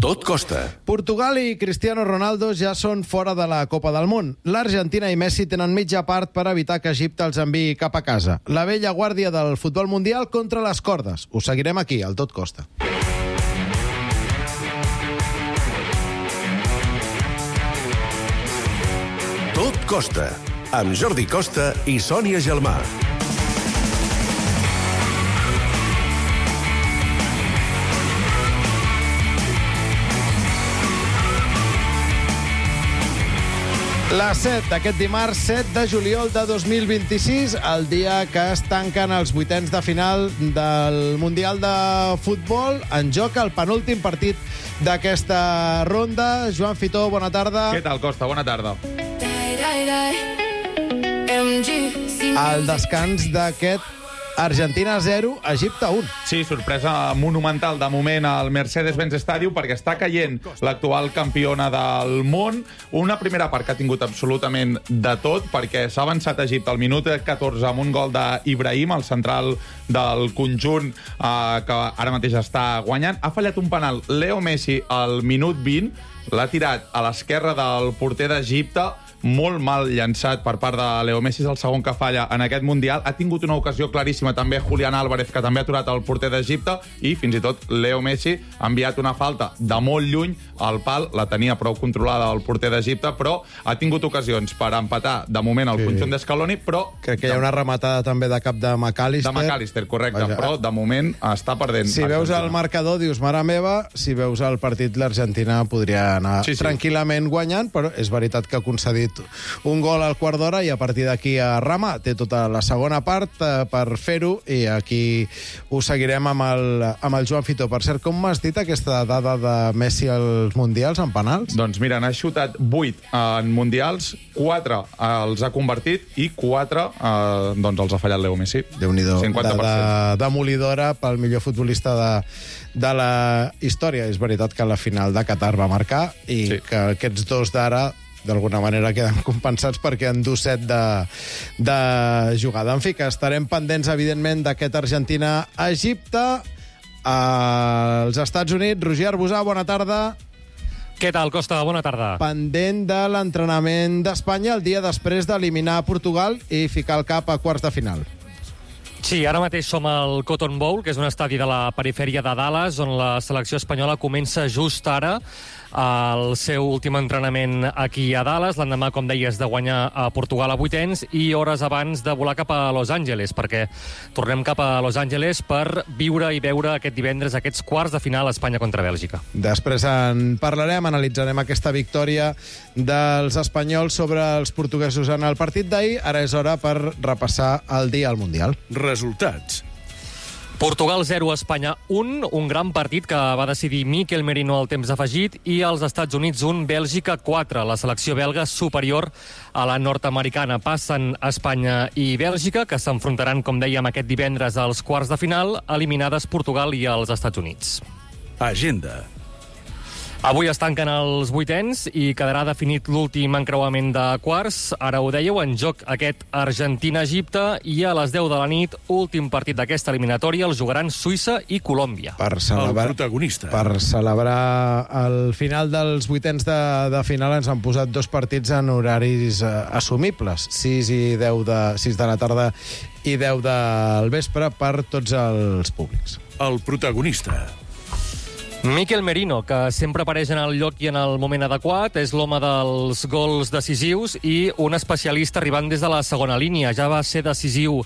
Tot costa. Portugal i Cristiano Ronaldo ja són fora de la Copa del Món. L'Argentina i Messi tenen mitja part per evitar que Egipte els enviï cap a casa. La vella guàrdia del futbol mundial contra les cordes. Ho seguirem aquí, al Tot Costa. Tot costa. Amb Jordi Costa i Sònia Gelmà. La 7 d'aquest dimarts, 7 de juliol de 2026, el dia que es tanquen els vuitens de final del Mundial de Futbol. En joc el penúltim partit d'aquesta ronda. Joan Fitó, bona tarda. Què tal, Costa? Bona tarda. El descans d'aquest Argentina 0, Egipte 1. Sí, sorpresa monumental de moment al Mercedes-Benz Stadium perquè està caient l'actual campiona del món. Una primera part que ha tingut absolutament de tot perquè s'ha avançat a Egipte al minut 14 amb un gol d'Ibrahim, el central del conjunt que ara mateix està guanyant. Ha fallat un penal Leo Messi al minut 20, l'ha tirat a l'esquerra del porter d'Egipte, molt mal llançat per part de Leo Messi, és el segon que falla en aquest Mundial. Ha tingut una ocasió claríssima també Julián Álvarez, que també ha aturat el porter d'Egipte, i fins i tot Leo Messi ha enviat una falta de molt lluny al pal, la tenia prou controlada el porter d'Egipte, però ha tingut ocasions per empatar de moment el conjunt d'Escaloni, però... Crec que hi ha una rematada també de cap de McAllister. De McAllister, correcte, vaja, però de moment està perdent. Si veus el marcador dius, mare meva, si veus el partit, l'Argentina podria anar tranquil·lament guanyant, però és veritat que ha concedit un gol al quart d'hora i a partir d'aquí a Rama té tota la segona part per fer-ho, i aquí ho seguirem amb el Joan Fitó. Per cert, com m'has dit aquesta dada de Messi als Mundials en penals? Doncs mira, n'ha xutat 8 en Mundials, 4 els ha convertit i 4 doncs els ha fallat Leo Messi. Déu-n'hi-do, demolidora pel millor futbolista de la història. És veritat que la final de Qatar va marcar i que aquests dos d'ara d'alguna manera queden compensats perquè en du 7 de jugada. En fi, que estarem pendents, evidentment, d'aquest Argentina-Egipte. Als Estats Units, Roger Arbusà, bona tarda. Què tal, Costa? Bona tarda. Pendent de l'entrenament d'Espanya el dia després d'eliminar Portugal i ficar el cap a quarts de final. Sí, ara mateix som al Cotton Bowl, que és un estadi de la perifèria de Dallas, on la selecció espanyola comença just ara el seu últim entrenament aquí a Dallas, l'endemà, com deies, de guanyar a Portugal a vuitens i hores abans de volar cap a Los Angeles, perquè tornem cap a Los Angeles per viure i veure aquest divendres aquests quarts de final Espanya contra Bèlgica. Després en parlarem, analitzarem aquesta victòria dels espanyols sobre els portuguesos en el partit d'ahir. Ara és hora per repassar el dia al Mundial. Resultats. Portugal 0, Espanya 1, un gran partit que va decidir Mikel Merino al temps afegit, i als Estats Units 1, Bèlgica 4. La selecció belga superior a la nord-americana. Passen Espanya i Bèlgica, que s'enfrontaran, com dèiem, aquest divendres als quarts de final, eliminades Portugal i els Estats Units. Agenda. Avui es tanquen els vuitens i quedarà definit l'últim encreuament de quarts. Ara ho dèieu, en joc aquest Argentina-Egipte, i a les 10 de la nit, últim partit d'aquesta eliminatòria, el jugaran Suïssa i Colòmbia. Per celebrar el final dels vuitens de final ens han posat dos partits en horaris assumibles, 6 de la tarda i 10 del vespre per tots els públics. El protagonista. Mikel Merino, que sempre apareix en el lloc i en el moment adequat, és l'home dels gols decisius i un especialista arribant des de la segona línia. Ja va ser decisiu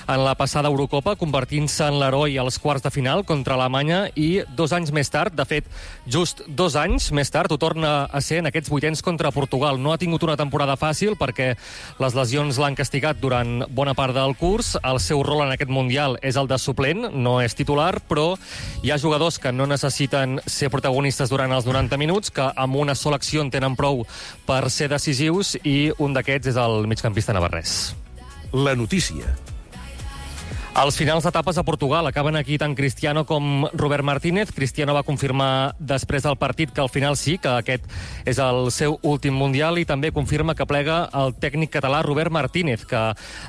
en la passada Eurocopa, convertint-se en l'heroi als quarts de final contra Alemanya, i 2 anys més tard, de fet, just 2 anys més tard, ho torna a ser en aquests vuitens contra Portugal. No ha tingut una temporada fàcil perquè les lesions l'han castigat durant bona part del curs. El seu rol en aquest Mundial és el de suplent, no és titular, però hi ha jugadors que no necessiten ser protagonistes durant els 90 minuts, que amb una sola acció en tenen prou per ser decisius, i un d'aquests és el migcampista navarrès. La notícia. Els finals d'etapes a Portugal acaben aquí tant Cristiano com Robert Martínez. Cristiano va confirmar després del partit que al final sí, que aquest és el seu últim Mundial, i també confirma que plega el tècnic català Robert Martínez, que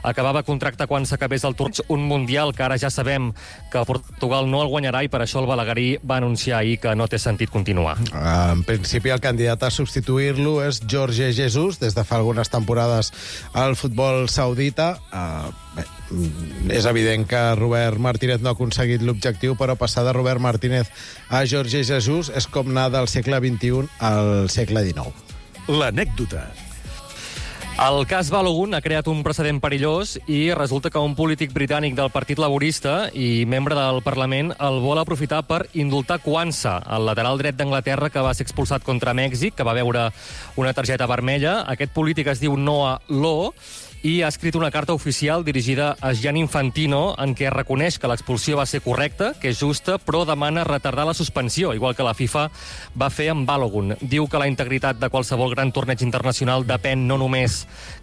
acabava contracte quan s'acabés el torneig, un Mundial que ara ja sabem que Portugal no el guanyarà, i per això el balaguerí va anunciar ahir que no té sentit continuar. En principi, el candidat a substituir-lo és Jorge Jesus, des de fa algunes temporades al futbol saudita. És evident que Robert Martínez no ha aconseguit l'objectiu, però passar de Robert Martínez a Jorge Jesus és com anar del segle XXI al segle XIX. L'anècdota. El cas Balogun ha creat un precedent perillós i resulta que un polític britànic del Partit Laborista i membre del Parlament el vol aprofitar per indultar Kwanza, el lateral dret d'Anglaterra que va ser expulsat contra Mèxic, que va veure una targeta vermella. Aquest polític es diu Noah Lowe i ha escrit una carta oficial dirigida a Gianni Infantino en què reconeix que l'expulsió va ser correcta, que és justa, però demana retardar la suspensió, igual que la FIFA va fer amb Balogun. Diu que la integritat de qualsevol gran torneig internacional depèn no només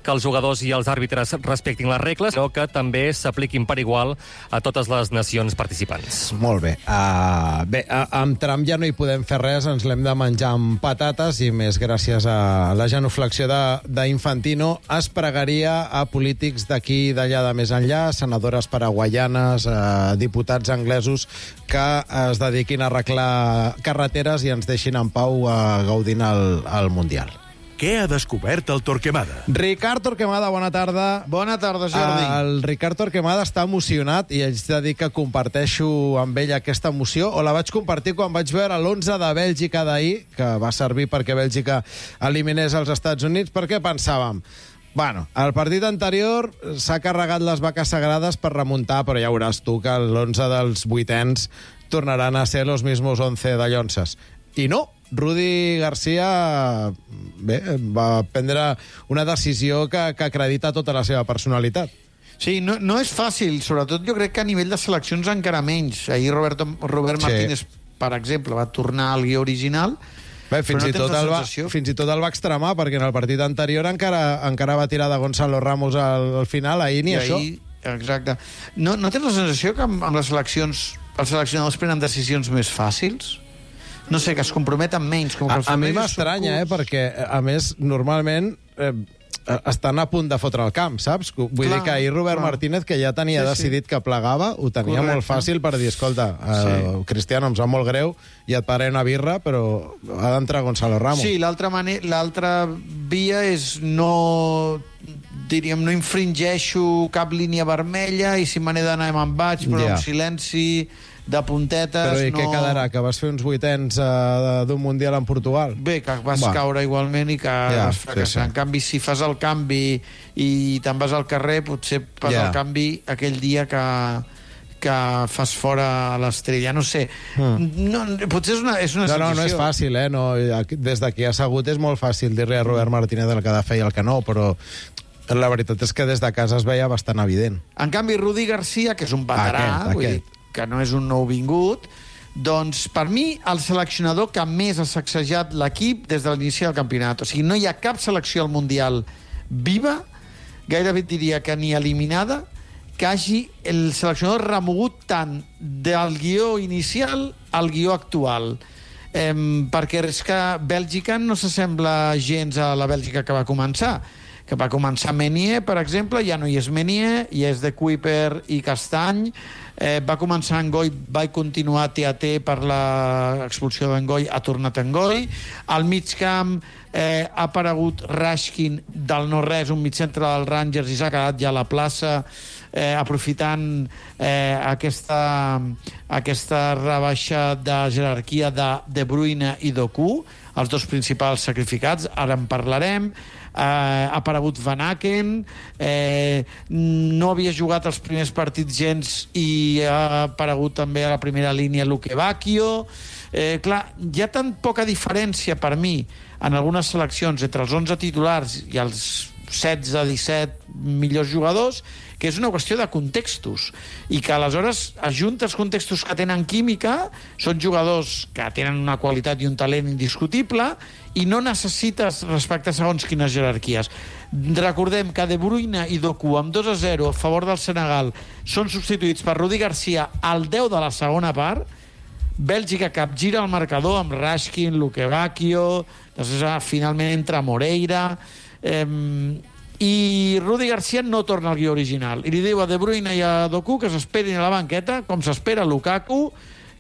que els jugadors i els àrbitres respectin les regles, sinó que també s'apliquin per igual a totes les nacions participants. Molt bé. Amb Trump ja no hi podem fer res, ens l'hem de menjar amb patates, i més gràcies a la genuflexió d'Infantino es pregaria a polítics d'aquí i d'allà de més enllà, senadores paraguaianes, diputats anglesos que es dediquin a arreglar carreteres i ens deixin en pau gaudint el Mundial. Què ha descobert el Torquemada? Ricard Torquemada, bona tarda. Bona tarda, Jordi. El Ricard Torquemada està emocionat i haig de dir que comparteixo amb ell aquesta emoció, o la vaig compartir quan vaig veure l'11 de Bèlgica d'ahir, que va servir perquè Bèlgica eliminés els Estats Units, perquè pensàvem, bueno, el partit anterior s'ha carregat les vaques sagrades per remuntar, però ja veuràs tu que l'11 dels vuitens tornaran a ser los mismos 11 de Llonses. I no, Rudi Garcia va prendre una decisió que acredita tota la seva personalitat. Sí, no és fàcil, sobretot jo crec que a nivell de seleccions encara menys. Ahir Robert Martínez, per exemple, va tornar al guió original. Bé, fins i tot el va extremar, perquè en el partit anterior encara va tirar de Gonzalo Ramos al final, ahir ni això. Exacte. No tens la sensació que amb les seleccions els seleccionadors prenen decisions més fàcils? No sé, que es comprometen menys. A mi m'estranya, perquè, a més, normalment estan a punt de fotre el camp, saps? Vull dir que ahir Robert Martínez, que ja tenia decidit que plegava, ho tenia molt fàcil per dir, escolta, Cristiano, em sap molt greu, i et pararé una birra, però ha d'entrar Gonzalo Ramos. Sí, l'altra via és no infringeixo cap línia vermella, i si me n'he d'anar me'n vaig, però en silenci, de puntetes... Però i què quedarà? Que vas fer uns vuitens d'un Mundial en Portugal? Bé, que vas caure igualment i que vas fracassar. En canvi, si fas el canvi i te'n vas al carrer, potser fas el canvi aquell dia que fas fora l'estrella. No sé. Potser és una situació... No és fàcil, des d'aquí assegut és molt fàcil dir-li a Robert Martínez el que ha de fer i el que no, però la veritat és que des de casa es veia bastant evident. En canvi, Rudi Garcia, que és un veterà, vull dir, que no és un nouvingut, doncs per mi el seleccionador que més ha sacsejat l'equip des de l'inici del campionat. O sigui, no hi ha cap selecció al Mundial viva, gairebé diria que ni eliminada, que hagi el seleccionador remogut tant del guió inicial al guió actual. Perquè és que Bèlgica no s'assembla gens a la Bèlgica que va començar. Que va començar Meunier, per exemple, ja no hi és Meunier, ja és de Kuiper i Castany. Va començar Ngoi, va continuar TAT per l'expulsió d'Ngoi, ha tornat Ngoi. Al mig camp ha aparegut Rashkin del no-res, un mitjantre dels Rangers, i s'ha quedat ja a la plaça, aprofitant aquesta rebaixa de jerarquia de De Bruyne i Doku, els dos principals sacrificats, ara en parlarem. Ha aparegut Van Aken, no havia jugat els primers partits gens i ha aparegut també a la primera línia Luque Bacchio. Clar, hi ha tan poca diferència per mi en algunes seleccions entre els 11 titulars i els 16-17 millors jugadors, que és una qüestió de contextos, i que aleshores ajunta els contextos que tenen química, són jugadors que tenen una qualitat i un talent indiscutible, i no necessites respectar segons quines jerarquies. Recordem que De Bruyne i Doku, amb 2-0 a favor del Senegal, són substituïts per Rudi Garcia al 10 de la segona part. Bèlgica capgira el marcador amb Rashkin, Luque Bacchio, després finalment entra Moreira, i Rudi Garcia no torna al guió original. I li diu a De Bruyne i a Doku que s'esperin a la banqueta, com s'espera Lukaku,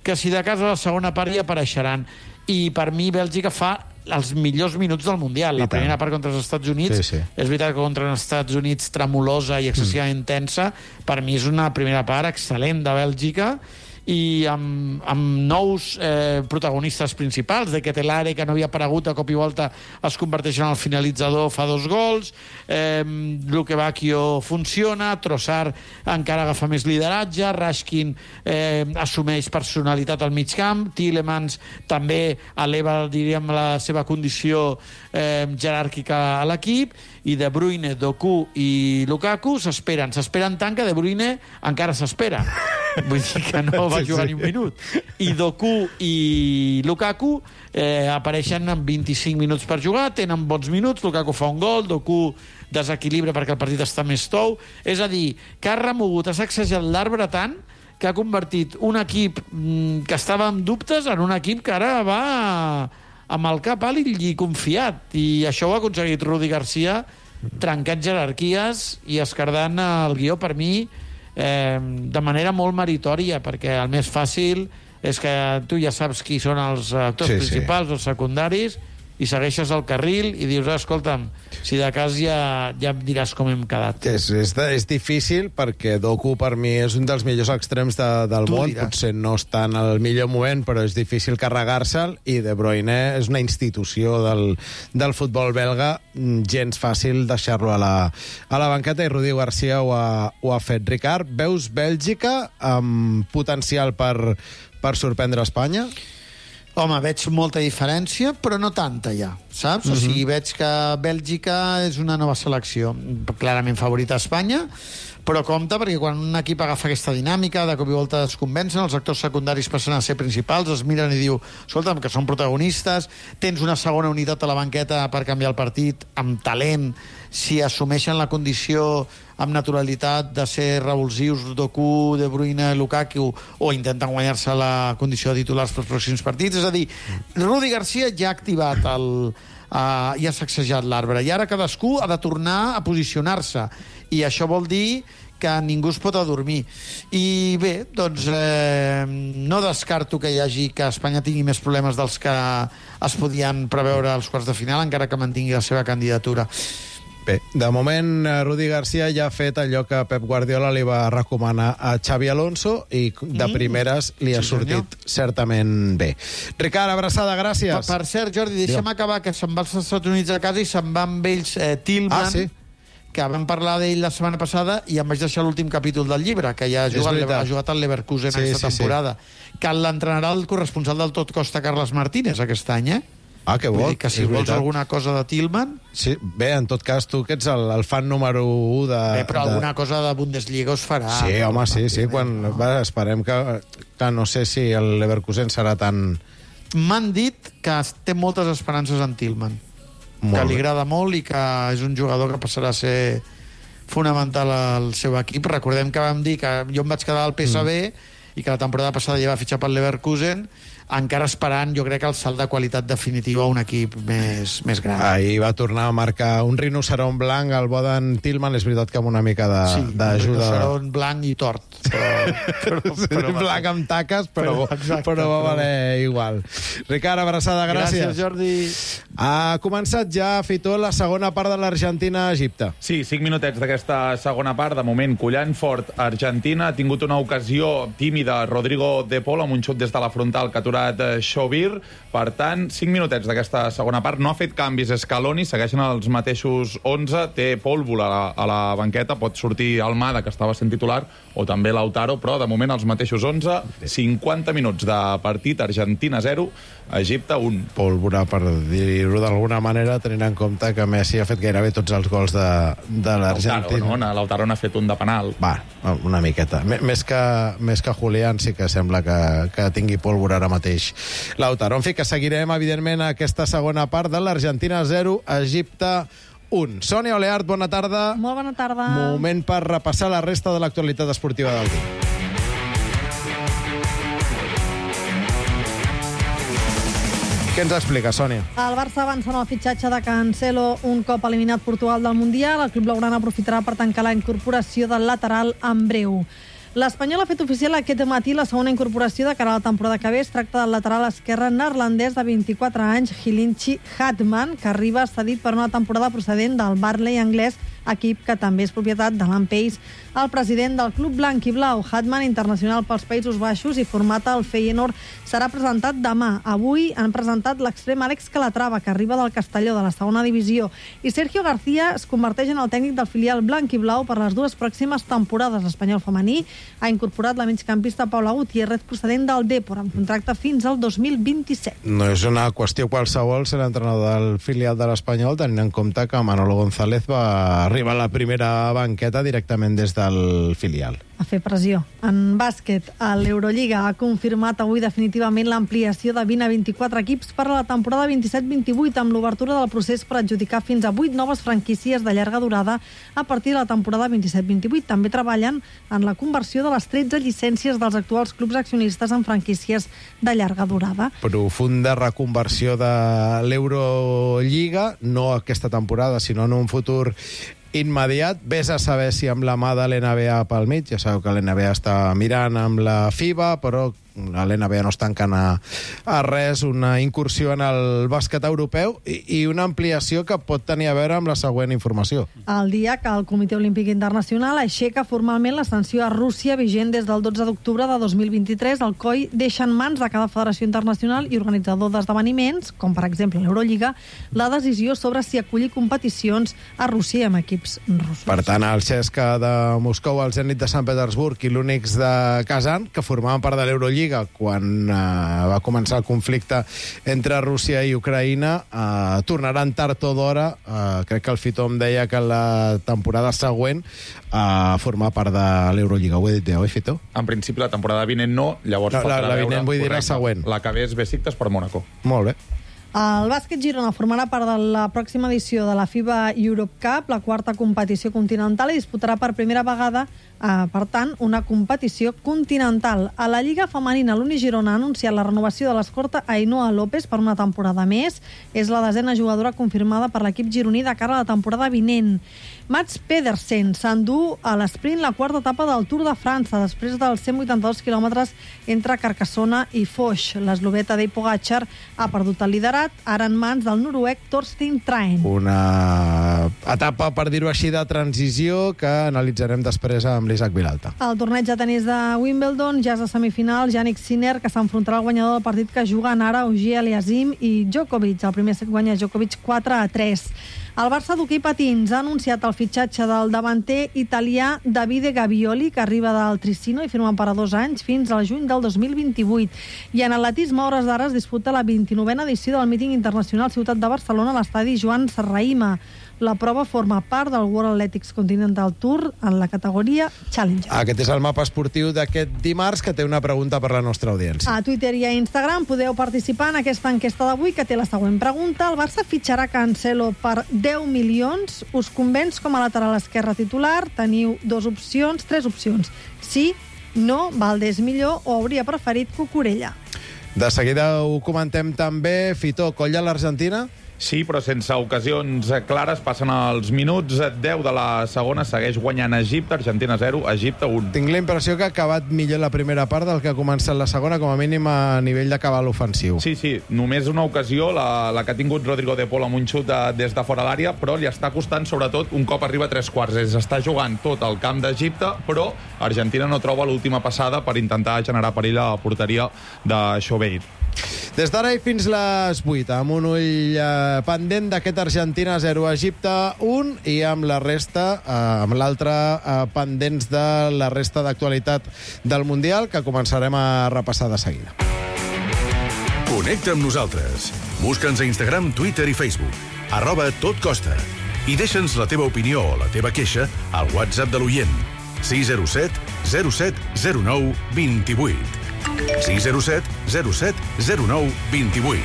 que si de cas a la segona part hi apareixeran. I per mi Bèlgica fa els millors minuts del Mundial. La primera part contra els Estats Units, és veritat que contra els Estats Units tremolosa i excessivament tensa, per mi és una primera part excel·lent de Bèlgica, i amb nous protagonistes principals. De Ketelare, que no havia aparegut, a cop i volta es converteix en el finalitzador, fa 2 gols, Luque Bacchio funciona, Trossard encara agafa més lideratge, Rashkin assumeix personalitat al mig camp, Tielemans també eleva, diríem, la seva condició jeràrquica a l'equip, i De Bruyne, Doku i Lukaku s'esperen tant que De Bruyne encara s'espera. Vull dir que no va jugar ni un minut. I Doku i Lukaku apareixen amb 25 minuts per jugar, tenen bons minuts, Lukaku fa un gol, Doku desequilibra perquè el partit està més tou. És a dir, que ha remogut, ha sacsejat l'arbre tant que ha convertit un equip que estava amb dubtes en un equip que ara va amb el cap alt i confiat. I això ho ha aconseguit Rudi Garcia, trencant jerarquies i escardant el guió, per mi, de manera molt meritòria, perquè el més fàcil és que tu ja saps qui són els actors principals, els secundaris, i segueixes el carril i dius, escolta'm, si de cas ja em diràs com hem quedat. És difícil perquè Doku per mi és un dels millors extrems del món, potser no està en el millor moment, però és difícil carregar-se'l, i De Bruyne és una institució del futbol belga, gens fàcil deixar-lo a la banqueta, i Rudi Garcia ho ha fet. Ricard, veus Bèlgica amb potencial per sorprendre Espanya? Home, veig molta diferència, però no tanta ja, saps? O sigui, veig que Bèlgica és una nova selecció, clarament favorita a Espanya, però compte, perquè quan un equip agafa aquesta dinàmica, de cop i volta es convencen, els actors secundaris passen a ser principals, es miren i diu, escolta'm, que són protagonistes, tens una segona unitat a la banqueta per canviar el partit, amb talent, si assumeixen la condició amb naturalitat de ser revulsius, Doku, De Bruyne, Lukaku, o intenten guanyar-se la condició de titulars pels pròxims partits. És a dir, Rudi Garcia ja ha activat i ha sacsejat l'arbre, i ara cadascú ha de tornar a posicionar-se, i això vol dir que ningú es pot adormir. I bé, doncs no descarto que Espanya tingui més problemes dels que es podien preveure als quarts de final, encara que mantingui la seva candidatura. Bé, de moment, Rudi Garcia ja ha fet allò que Pep Guardiola li va recomanar a Xavi Alonso, i de primeres li ha sortit certament bé. Ricard, abraçada, gràcies. Per cert, Jordi, deixa'm acabar, que se'n va als Estats Units a casa i se'n va amb ells Tillman, que vam parlar d'ell la setmana passada, i em vaig deixar l'últim capítol del llibre, que ja ha jugat al Leverkusen aquesta temporada, que l'entrenarà el corresponsal del Tot Costa, Carles Martínez, aquest any, Ah, que bo. Vull dir que si vols alguna cosa de Tillman... Sí, bé, en tot cas, tu que ets el fan número 1 de... Bé, però alguna cosa de Bundesliga us farà. Sí, home, sí. Esperem que no sé si el Leverkusen serà tan... M'han dit que té moltes esperances en Tillman. Que li agrada molt i que és un jugador que passarà a ser fonamental al seu equip. Recordem que vam dir que jo em vaig quedar al PSV i que la temporada passada ja va fitxar pel Leverkusen, encara esperant, jo crec, el salt de qualitat definitiu a un equip més gran. Ahir va tornar a marcar un rinoceront blanc al bo d'en Tillman, és veritat que amb una mica d'ajuda... Sí, un rinoceront blanc i tort. Però blanc amb taques, però va valer igual. Ricard, abraçada, gràcies. Gràcies, Jordi. Ha començat ja, Fitó, la segona part de l'Argentina-Egipte. Sí, 5 minutets d'aquesta segona part. De moment, collant fort Argentina. Ha tingut una ocasió tímida Rodrigo De Paul amb un xut des de la frontal que atura incorporat Xovir. Per tant, 5 minutets d'aquesta segona part. No ha fet canvis Scaloni, segueixen els mateixos 11. Té Pólvora a la banqueta, pot sortir Almada, que estava sent titular, o també Lautaro, però de moment els mateixos 11. 50 minuts de partit, Argentina 0, Egipte 1. Pólvora, per dir-ho d'alguna manera, tenint en compte que Messi ha fet gairebé tots els gols de l'Argentina. Lautaro n'ha fet un de penal. Va, una miqueta. Més que Julián sí que sembla que tingui pólvora ara mateix. Lautaro, en fi, que seguirem, evidentment, aquesta segona part de l'Argentina 0, Egipte 1. Sònia Oleart, bona tarda. Molt bona tarda. Moment per repassar la resta de l'actualitat esportiva del dia. Què ens explica, Sònia? El Barça avança en el fitxatge de Cancelo un cop eliminat Portugal del Mundial. El club blaugrana aprofitarà per tancar la incorporació del lateral en breu. L'Espanyol ha fet oficial aquest matí la segona incorporació de cara a la temporada que ve. Es tracta del lateral esquerre neerlandès de 24 anys, Hilinchi Hatman, que arriba cedit per una temporada procedent del Burnley anglès, equip que també és propietat de l'Ampeix. El president del club blanc i blau, Hatman, internacional pels Països Baixos i format al Feyenoord, serà presentat demà. Avui han presentat l'extrem Àlex Calatrava, que arriba del Castelló, de la segona divisió, i Sergio García es converteix en el tècnic del filial blanc i blau per les 2 pròximes temporades. L'Espanyol femení ha incorporat la migcampista Paula Gutiérrez, procedent del Depor, amb contracte fins al 2027. No és una qüestió qualsevol ser l'entrenador del filial de l'Espanyol, tenint en compte que Manolo González va arribar a la primera banqueta directament des del filial. A fer pressió. En bàsquet, l'Eurolliga ha confirmat avui definitivament l'ampliació de 20 a 24 equips per a la temporada 27-28, amb l'obertura del procés per adjudicar fins a 8 noves franquícies de llarga durada a partir de la temporada 27-28. També treballen en la conversió de les 13 llicències dels actuals clubs accionistes en franquícies de llarga durada. Profunda reconversió de l'Eurolliga, no aquesta temporada, sinó en un futur immediat. Ves a saber si amb la mà de l'NBA pel mig, ja sabeu que l'NBA està mirant amb la FIBA, però a l'NBA no es tanquen a res, una incursió en el bàsquet europeu i una ampliació que pot tenir a veure amb la següent informació. El dia que el Comitè Olímpic Internacional aixeca formalment la sanció a Rússia vigent des del 12 d'octubre de 2023, el COI deixa en mans de cada federació internacional i organitzador d'esdeveniments, com per exemple l'Eurolliga, la decisió sobre si acollir competicions a Rússia amb equips russos. Per tant, el CSKA de Moscou, el Zenit de Sant Petersburg i l'Unix de Kazan, que formaven part de l'Eurolliga quan va començar el conflicte entre Rússia i Ucraïna, tornaran tard o d'hora. Crec que el Fito em deia que la temporada següent formar part de l'Eurolliga. Ho he dit bé, oi, Fito? En principi, la temporada vinent no, llavors... No, la vinent vull dir la següent. La que ve és Besiktas per Mónaco. Molt bé. El bàsquet Girona formarà part de la pròxima edició de la FIBA Europe Cup, la quarta competició continental, i disputarà per primera vegada, per tant, una competició continental. A la Lliga Femenina, l'Uni Girona ha anunciat la renovació de l'escorta Ainhoa López per una temporada més. És la 10a jugadora confirmada per l'equip gironí de cara a la temporada vinent. Mats Pedersen s'endú a l'esprint la quarta etapa del Tour de França, després dels 182 quilòmetres entre Carcassona i Foix. L'esloveta Tadej Pogačar ha perdut el liderat, ara en mans del noruec Torstein Traen. Una etapa, per dir-ho així, de transició que analitzarem després amb l'Isaac Vilalta. El torneig de tenis de Wimbledon ja és a semifinal. Jannik Sinner, que s'enfrontarà al guanyador del partit que juguen ara Auger Aliassime i Djokovic. El primer set guanya Djokovic 4-3. El Barça d'hoquei patins ha anunciat el fitxatge del davanter italià Davide Gavioli, que arriba del Trissino i firma per a 2 anys fins al juny del 2028. I en atletisme, a hores d'ara, es disputa la 29a edició del míting internacional Ciutat de Barcelona a l'estadi Joan Serrahima. La prova forma part del World Athletics Continental Tour en la categoria Challenger. Aquest és el mapa esportiu d'aquest dimarts, que té una pregunta per la nostra audiència. A Twitter i a Instagram podeu participar en aquesta enquesta d'avui, que té la següent pregunta. El Barça fitxarà Cancelo per 10 milions. Us convenç com a lateral esquerre titular? Teniu 3 opcions. Sí, no, Valdés millor o hauria preferit Cucurella. De seguida ho comentem també. Fito, colla l'Argentina? Sí, però sense ocasions clares. Passen els minuts 10 de la segona, segueix guanyant Egipte, Argentina 0, Egipte 1. Tinc la impressió que ha acabat millor la primera part del que ha començat la segona, com a mínim a nivell de cabal ofensiu. Sí, només una ocasió, la que ha tingut Rodrigo de Paul amb un xut des de fora l'àrea, però li està costant sobretot un cop arriba a 3/4. Està jugant tot el camp d'Egipte, però Argentina no troba l'última passada per intentar generar perill a la porteria de Xovir. Des d'ara i fins les 8, amb un ull pendent d'aquest Argentina 0, Egipte 1, i amb la resta, amb l'altre pendents de la resta d'actualitat del Mundial, que començarem a repassar de seguida. Connecta amb nosaltres. Busca'ns a Instagram, Twitter i Facebook. @totcosta. I deixa'ns la teva opinió o la teva queixa al WhatsApp de l'oient. 607 07 09 28. 607 07 09 28.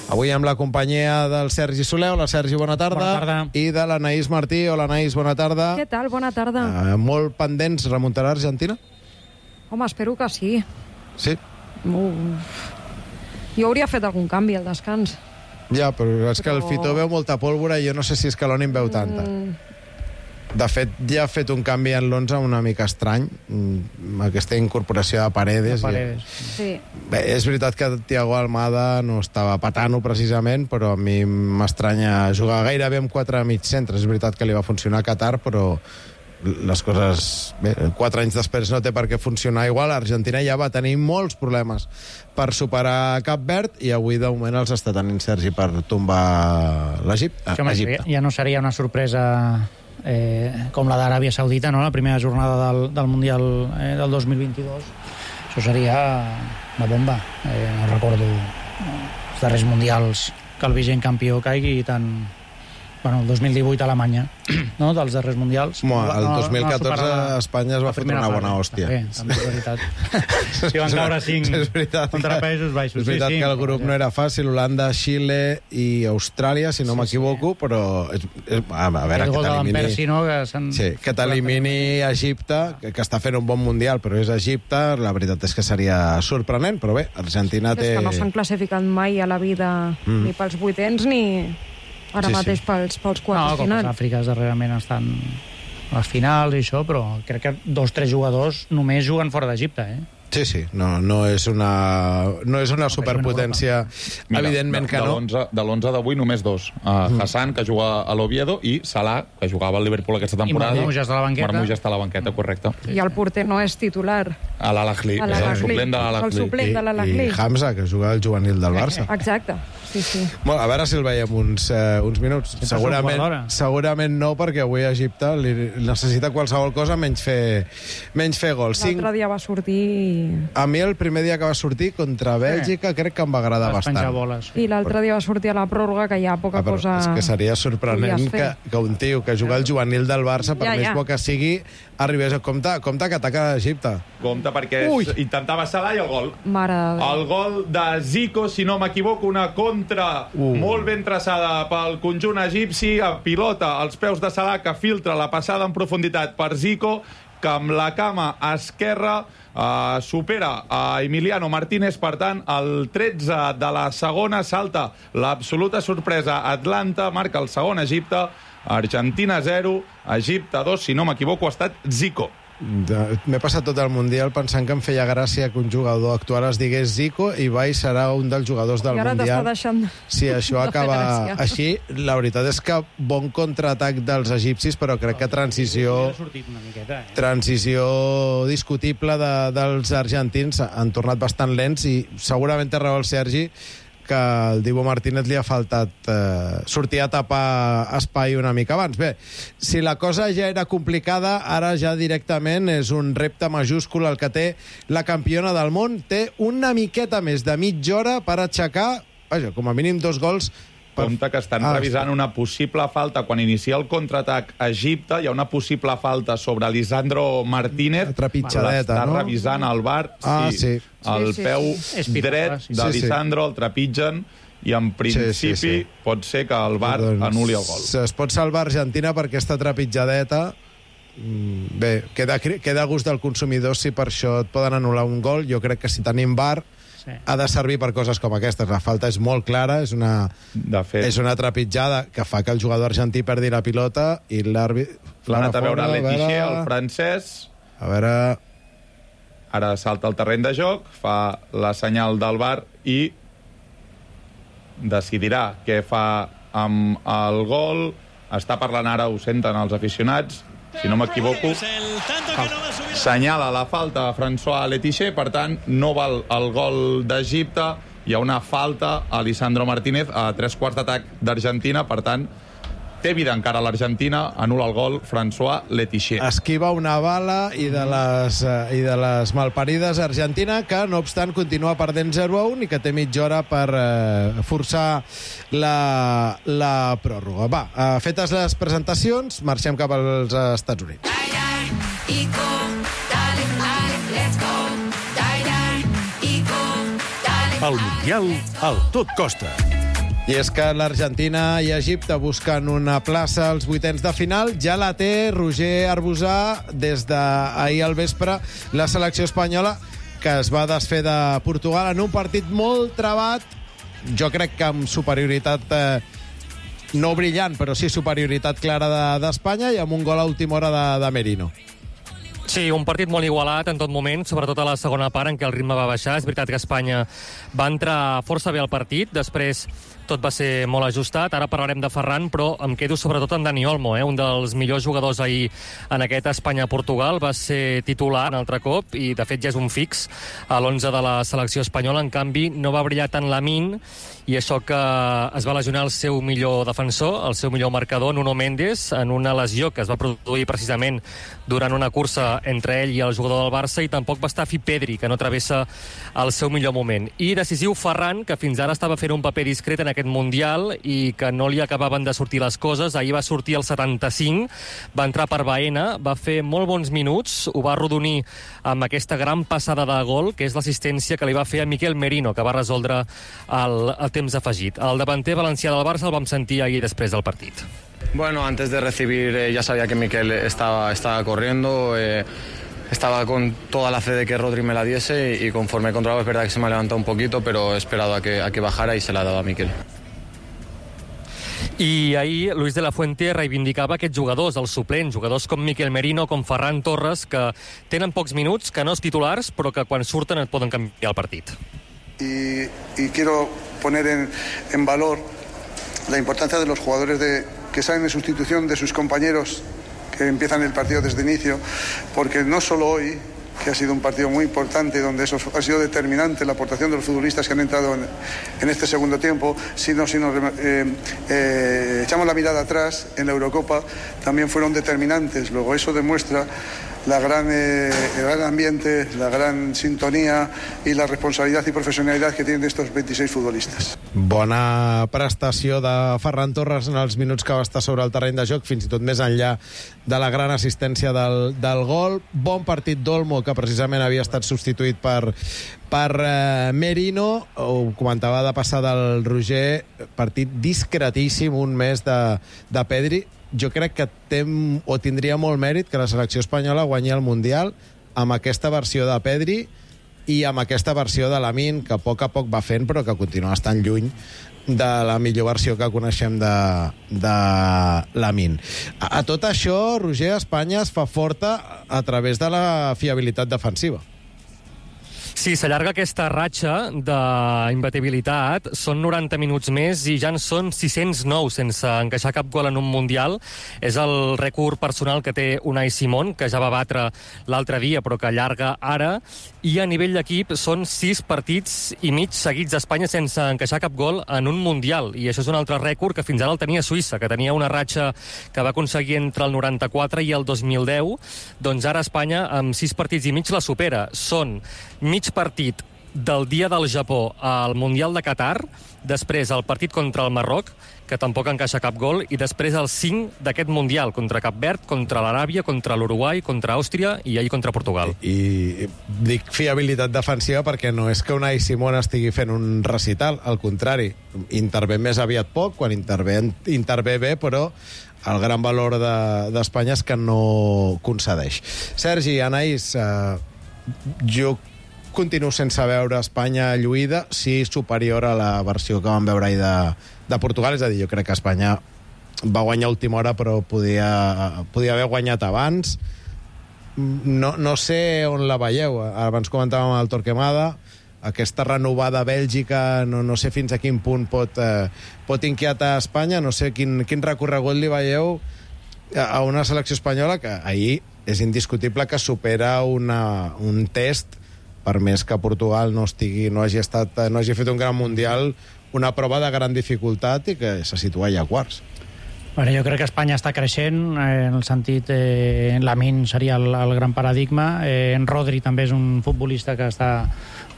Avui amb la companyia del Sergi Soler. Hola, Sergi, bona tarda. Bona tarda. I de l'Anaïs Martí. Hola, Anaïs, bona tarda. Què tal? Bona tarda. Molt pendents. Remuntarà Argentina? Home, espero que sí. Sí? Jo hauria fet algun canvi al descans. Ja, però és que el Fitó veu molta pólvora i jo no sé si Scaloni en veu tanta. De fet, ja ha fet un canvi en l'11 una mica estrany, aquesta incorporació de Paredes. Sí. Bé, és veritat que Thiago Almada no estava patant-ho precisament, però a mi m'estranya jugar gairebé amb 4 mig centres. És veritat que li va funcionar a Qatar, però les coses... Bé, 4 anys després no té per què funcionar igual. Argentina ja va tenir molts problemes per superar Cap Verd i avui, de moment, els està tenint Sergi per tombar l'Egipte. Ja no seria una sorpresa com la d'Aràbia Saudita, no? La primera jornada del Mundial del 2022. Això seria una bomba. No recordo els darrers mundials que el vigent campió caigui tant... Bueno, el 2018 a Alemanya, no?, dels darrers mundials. El 2014 Espanya es va fotre una bona hòstia. També és veritat. Si van caure 5 contra Països Baixos. És veritat que el grup no era fàcil. Holanda, Xile i Austràlia, si no m'equivoco, però... A veure, que t'elimini Egipte, que està fent un bon mundial, però és Egipte, la veritat és que seria sorprenent, però bé, Argentina té... És que no s'han classificat mai a la vida ni pels vuitens ni... Ara mateix pels quarts finals. Com les Àfriques darrerament estan a les finals i això, però crec que 2 o 3 jugadors només juguen fora d'Egipte, Sí. No és una superpotència. Mira, evidentment que no. De l'11 d'avui, només 2. Hassan, que juga a l'Oviedo, i Salah, que jugava al Liverpool aquesta temporada. I Marmoush està a la banqueta. Marmoush està a la banqueta, correcte. I el porter no és titular. A l'Al-Ahly. El suplent de l'Al-Ahly. El suplent de l'Al-Ahly. I Hamza, que juga al juvenil del Barça. Exacte. Sí. Bueno, a veure si el veiem uns minuts. Segurament no, perquè avui a Egipte li necessita qualsevol cosa menys fer gols. L'altre dia va sortir... A mi el primer dia que va sortir contra Bèlgica crec que em va agradar bastant. I l'altre dia va sortir a la pròrroga, que hi ha poca cosa... És que seria sorprenent que un tio que juga al juvenil del Barça, per més bo que sigui, arribés a compte que ataca Egipte. Compte perquè intentava Salah i el gol. Mare de Déu. El gol de Zico, si no m'equivoco, una contra molt ben traçada pel conjunt egipci, a pilota als peus de Salah, que filtra la passada en profunditat per Zico, que amb la cama esquerra supera a Emiliano Martínez. Per tant, el 13 de la segona salta l'absoluta sorpresa. Atlanta marca el segon Egipte, Argentina 0, Egipte 2, si no m'equivoco, ha estat Zico. M'he passat tot el Mundial pensant que em feia gràcia que un jugador actual es digués Zico i Bai serà un dels jugadors del Mundial. Si això acaba així, la veritat és que bon contraatac dels egipcis, però crec que transició discutible dels argentins. Han tornat bastant lents i segurament té raó el Sergi que el Dibu Martínez li ha faltat sortir a tapar espai una mica abans. Bé, si la cosa ja era complicada, ara ja directament és un repte majúscul el que té la campiona del món. Té una miqueta més de mitja hora per aixecar, com a mínim 2 gols. Compte que estan revisant una possible falta. Quan inicia el contraatac a Egipte, hi ha una possible falta sobre Lisandro Martínez. Trepitjadeta, no? Està revisant el VAR. Sí. El peu dret de Lisandro el trepitgen i en principi pot ser que el VAR anul·li el gol. Es pot salvar Argentina per aquesta trepitjadeta. Bé, queda a gust del consumidor si per això et poden anul·lar un gol. Jo crec que si tenim VAR ha de servir per coses com aquestes. La falta és molt clara, és una trepitjada que fa que el jugador argentí perdi la pilota i l'àrbit... L'ha anat a veure Letizier, el francès. A veure... Ara salta al terreny de joc, fa la senyal del VAR i decidirà què fa amb el gol. Està parlant ara, ho senten els aficionats. si no m'equivoco, senyala la falta a François Letixer, per tant, no val el gol d'Egipte, hi ha una falta a Lisandro Martínez a 3/4 d'atac d'Argentina, per tant, té vida encara l'Argentina, anul·la el gol François Letixer. Esquiva una bala i de les malparides Argentina, que no obstant continua perdent 0-1 i que té mitja hora per forçar la pròrroga. Va, fetes les presentacions, marxem cap als Estats Units. El Mundial al Tot Costa. I és que l'Argentina i Egipte busquen una plaça als vuitens de final. Ja la té Roger Arbusà des d'ahir al vespre, la selecció espanyola, que es va desfer de Portugal en un partit molt trebat, jo crec que amb superioritat no brillant, però sí superioritat clara d'Espanya, i amb un gol a última hora de Merino. Sí, un partit molt igualat en tot moment, sobretot a la segona part en què el ritme va baixar. És veritat que Espanya va entrar força bé al partit, després tot va ser molt ajustat. Ara parlarem de Ferran, però em quedo sobretot amb Dani Olmo, un dels millors jugadors ahir en aquest Espanya-Portugal. Va ser titular un altre cop i, de fet, ja és un fix a l'11 de la selecció espanyola. En canvi, no va brillar tant Lamine, i això que es va lesionar el seu millor defensor, el seu millor marcador, Nuno Mendes, en una lesió que es va produir precisament durant una cursa entre ell i el jugador del Barça, i tampoc va estar fi Pedri, que no travessa el seu millor moment. I decisiu Ferran, que fins ara estava fent un paper discret en aquest Mundial i que no li acabaven de sortir les coses. Ahir va sortir el 75, va entrar per Baena, va fer molt bons minuts, ho va arrodonir amb aquesta gran passada de gol, que és l'assistència que li va fer a Miquel Merino, que va resoldre el temps afegit. El davanter valencià del Barça el vam sentir ahir després del partit. Bueno, antes de recibir ya sabía que Miquel estaba corriendo, estaba con toda la fe de que Rodri me la diese, y conforme he controlado es verdad que se me ha levantado un poquito, pero he esperado a que bajara y se la ha dado a Miquel. I ahir Luis de la Fuente reivindicava aquests jugadors, els suplents, jugadors com Miquel Merino, com Ferran Torres, que tenen pocs minuts, que no és titulars, però que quan surten et poden canviar el partit. Y quiero poner en valor la importancia de los jugadores que salen en sustitución de sus compañeros que empiezan el partido desde el inicio, porque no solo hoy, que ha sido un partido muy importante, donde eso ha sido determinante, la aportación de los futbolistas que han entrado en este segundo tiempo, sino si nos echamos la mirada atrás, en la Eurocopa también fueron determinantes. Luego eso demuestra el gran ambiente, la gran sintonía y la responsabilidad y profesionalidad que tienen estos 26 futbolistes. Bona prestació de Ferran Torres en els minuts que va estar sobre el terreny de joc, fins i tot més enllà de la gran assistència del gol. Bon partit d'Olmo, que precisament havia estat substituït per Merino. Ho comentava de passar del Roger, partit discretíssim, un mes de Pedri. Jo crec que tindria molt mèrit que la selecció espanyola guanyi el Mundial amb aquesta versió de Pedri i amb aquesta versió de Lamine, que a poc va fent, però que continua estant lluny de la millor versió que coneixem de Lamine. A tot això, Roger, Espanya es fa forta a través de la fiabilitat defensiva. Sí, s'allarga aquesta ratxa d'imbatibilitat. Són 90 minuts més i ja en són 609 sense encaixar cap gol en un Mundial. És el rècord personal que té Unai Simón, que ja va batre l'altre dia, però que allarga ara. I a nivell d'equip són 6 partits i mig seguits d'Espanya sense encaixar cap gol en un Mundial. I això és un altre rècord que fins ara el tenia Suïssa, que tenia una ratxa que va aconseguir entre el 94 i el 2010. Doncs ara Espanya, amb 6 partits i mig, la supera. Són mig partit del dia del Japó al Mundial de Qatar, després el partit contra el Marroc, que tampoc encaixa cap gol, i després el 5 d'aquest Mundial, contra Cap Verd, contra l'Aràbia, contra l'Uruguai, contra Àustria i ahir contra Portugal. I dic fiabilitat defensiva perquè no és que Unai Simón estigui fent un recital, al contrari, intervé més aviat poc, quan intervé bé, però el gran valor d'Espanya és que no concedeix. Sergi, Anaïs, jo continuo sense veure Espanya lluïda, sí superior a la versió que vam veure ahir de Portugal. És a dir, jo crec que Espanya va guanyar a última hora, però podia haver guanyat abans. No sé on la veieu. Abans comentàvem el Torquemada, aquesta renovada Bèlgica, no sé fins a quin punt pot inquietar Espanya, no sé quin recorregut li veieu a una selecció espanyola que ahir és indiscutible que supera un test, per més que Portugal no hagi fet un gran mundial, una prova de gran dificultat i que se situa ja a quarts. Bueno, jo crec que Espanya està creixent, en el sentit, Lamine seria el gran paradigma, en Rodri també és un futbolista que està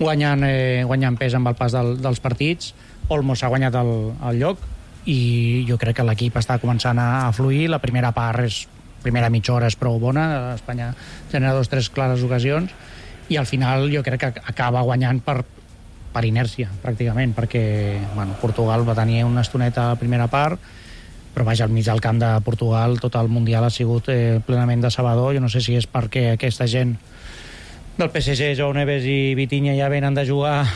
guanyant pes amb el pas dels partits, Olmo s'ha guanyat el lloc, i jo crec que l'equip està començant a fluir. La primera mitja hora és prou bona, Espanya genera 2 o 3 clares ocasions, i al final jo crec que acaba guanyant per inèrcia, pràcticament, perquè Portugal va tenir una estoneta a la primera part, però vaja, al mig del camp de Portugal tot el Mundial ha sigut plenament decebedor. Jo no sé si és perquè aquesta gent del PSG, Joao Neves i Vitinha, ja venen de jugar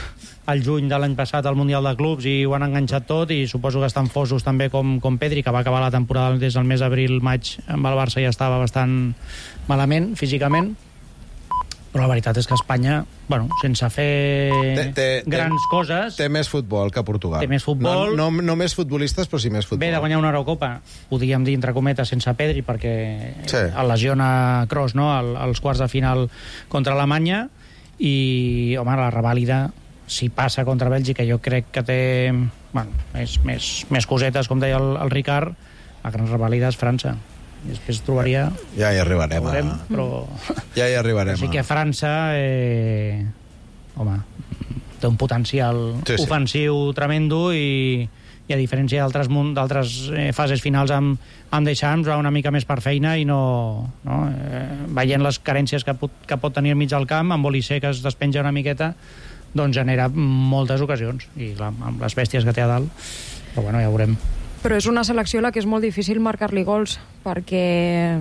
al juny de l'any passat al Mundial de Clubs i ho han enganxat tot, i suposo que estan fosos també com Pedri, que va acabar la temporada des del mes d'abril-maig amb el Barça, ja estava bastant malament físicament. Però la veritat és que Espanya, sense fer grans coses... Té més futbol que Portugal. Té més futbol. No més futbolistes, però sí més futbol. Ve de guanyar una Eurocopa, podríem dir, entre cometes, sense Pedri, perquè el lesiona Kroos, no?, als quarts de final contra Alemanya, i, home, la revàlida, si passa contra Bèlgica, jo crec que té més cosetes, com deia el Ricard. La gran revàlida és França. I després trobaria... Ja hi arribarem. Però... Ja hi arribarem. Així que França, té un potencial ofensiu tremendo, i a diferència d'altres fases finals amb Deschamps, va una mica més per feina, i veient les carències que pot tenir al mig del camp, amb Olise, que es despenja una miqueta, doncs genera moltes ocasions, i clar, amb les bèsties que té a dalt, però ja veurem. Però és una selecció a la que és molt difícil marcar-li gols, perquè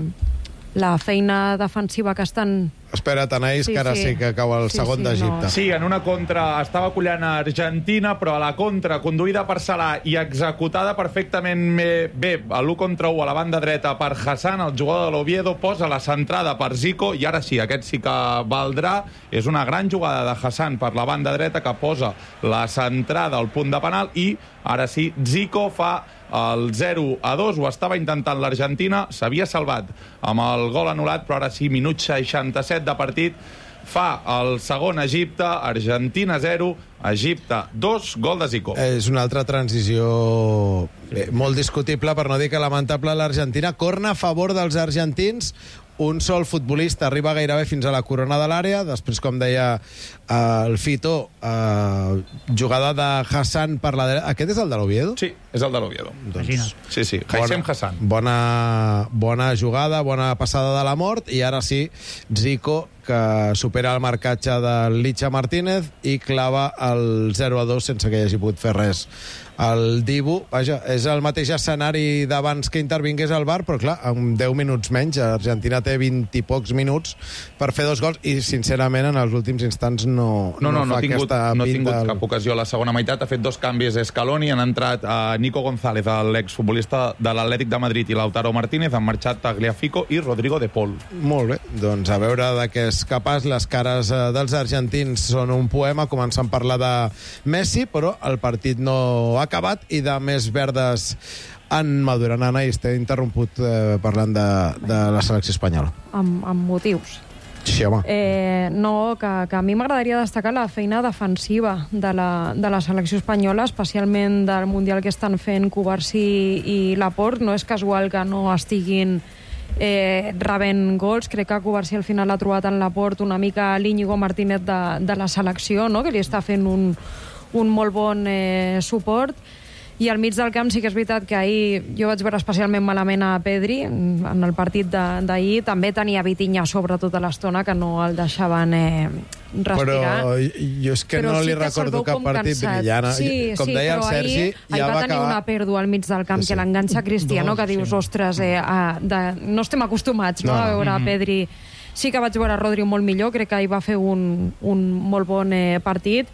la feina defensiva que estan... Espera't, Anaïs, que ara sí que cau el segon d'Egipte. Sí, en una contra estava collant a Argentina, però a la contra, conduïda per Salah i executada perfectament bé a l'1 contra 1 a la banda dreta per Hassan, el jugador de l'Oviedo, posa la centrada per Zico, i ara sí, aquest sí que valdrà. És una gran jugada de Hassan per la banda dreta, que posa la centrada al punt de penal, i ara sí, Zico fa el 0-2, ho estava intentant l'Argentina, s'havia salvat amb el gol anul·lat, però ara sí, minut 67 de partit, fa el segon Egipte, Argentina 0, Egipte 2, gol de Zico. És una altra transició molt discutible, per no dir que lamentable, l'Argentina. Corna a favor dels argentins, un sol futbolista arriba gairebé fins a la corona de l'àrea, després, com deia el Fito, jugada de Hassan per la dreta. Aquest és el de l'Oviedo? Sí, és el de l'Oviedo. Sí, Haissem Hassan. Bona jugada, bona passada de la mort, i ara sí, Zico, que supera el marcatge del Licha Martínez i clava el 0-2 sense que hi hagi pogut fer res el Dibu. Vaja, és el mateix escenari d'abans que intervingués el VAR, però clar, amb 10 minuts menys. Argentina té 20 i pocs minuts per fer 2 gols, i sincerament en els últims instants no ha tingut cap ocasió a la segona meitat. Ha fet 2 canvis Scaloni, han entrat Nico González, l'exfutbolista de l'Atlètic de Madrid, i Lautaro Martínez, han marxat Tagliafico i Rodrigo de Paul. Molt bé, doncs a veure de què és capaç. Les cares dels argentins són un poema, començant a parlar de Messi, però el partit no ha acabat, i de més verdes en maduren. Anaïs, t'he interromput parlant de la selecció espanyola. Amb motius. Sí, home. Que a mi m'agradaria destacar la feina defensiva de la selecció espanyola, especialment del Mundial que estan fent Cubarsí i Laporte. No és casual que no estiguin rebent gols. Crec que Cubarsí al final ha trobat en Laporte una mica l'Íñigo Martínez de la selecció, no?, que li està fent un molt bon suport. I al mig del camp sí que és veritat que ahir jo vaig veure especialment malament a Pedri en el partit d'ahir. També tenia Vitinha sobre tota l'estona, que no el deixaven respirar. Però jo és que no li recordo cap partit brillant. Com deia el Sergi, ja va tenir una pèrdua al mig del camp, que l'enganxa Cristiano, que dius, ostres, no estem acostumats a veure a Pedri. Sí que vaig veure a Rodri molt millor, crec que ahir va fer un molt bon partit.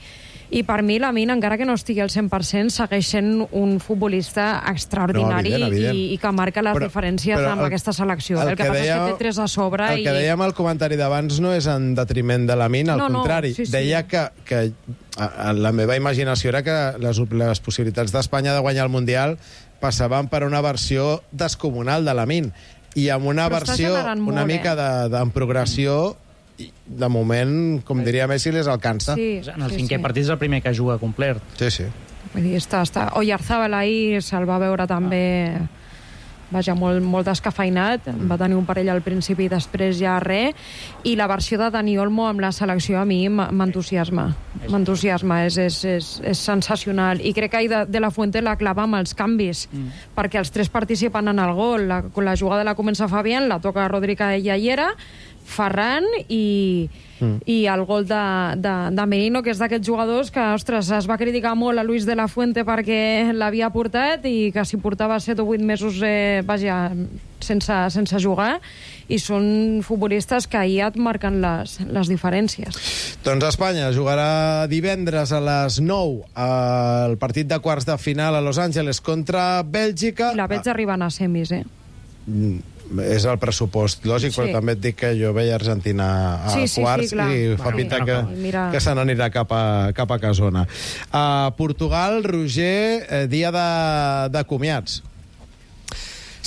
I per mi, Lamine, encara que no estigui al 100%, segueix sent un futbolista extraordinari, i que marca les diferències amb aquesta selecció. El que passa és que té 3 a sobre. El que dèiem al comentari d'abans no és en detriment de Lamine, al contrari. Deia que la meva imaginació era que les possibilitats d'Espanya de guanyar el Mundial passaven per una versió descomunal de Lamine. i amb una versió una mica en progressió, de moment, com diria Messi, les alcança. En el cinquè partit és el primer que juga complet. Sí. Vull dir, Oyarzabal ahir se'l va veure també molt descafeinat, va tenir un parell al principi i després ja res, i la versió de Dani Olmo amb la selecció a mi m'entusiasma, és sensacional, i crec que De La Fuente la clava amb els canvis, perquè els tres participen en el gol, la jugada la comença Fabián, la toca Rodri Yayera, Ferran i el gol de Merino, que és d'aquests jugadors que, ostres, es va criticar molt a Luis De La Fuente perquè l'havia portat i que si portava 7 o 8 mesos sense jugar, i són futbolistes que ahir et marquen les diferències. Doncs Espanya jugarà divendres a les 9 el partit de quarts de final a Los Angeles contra Bèlgica. I la veig arribant a semis, És el pressupost lògic, però també et dic que jo veia Argentina a quarts i fa pinta que se n'anirà cap a Casona. Portugal, Roger, dia de comiats.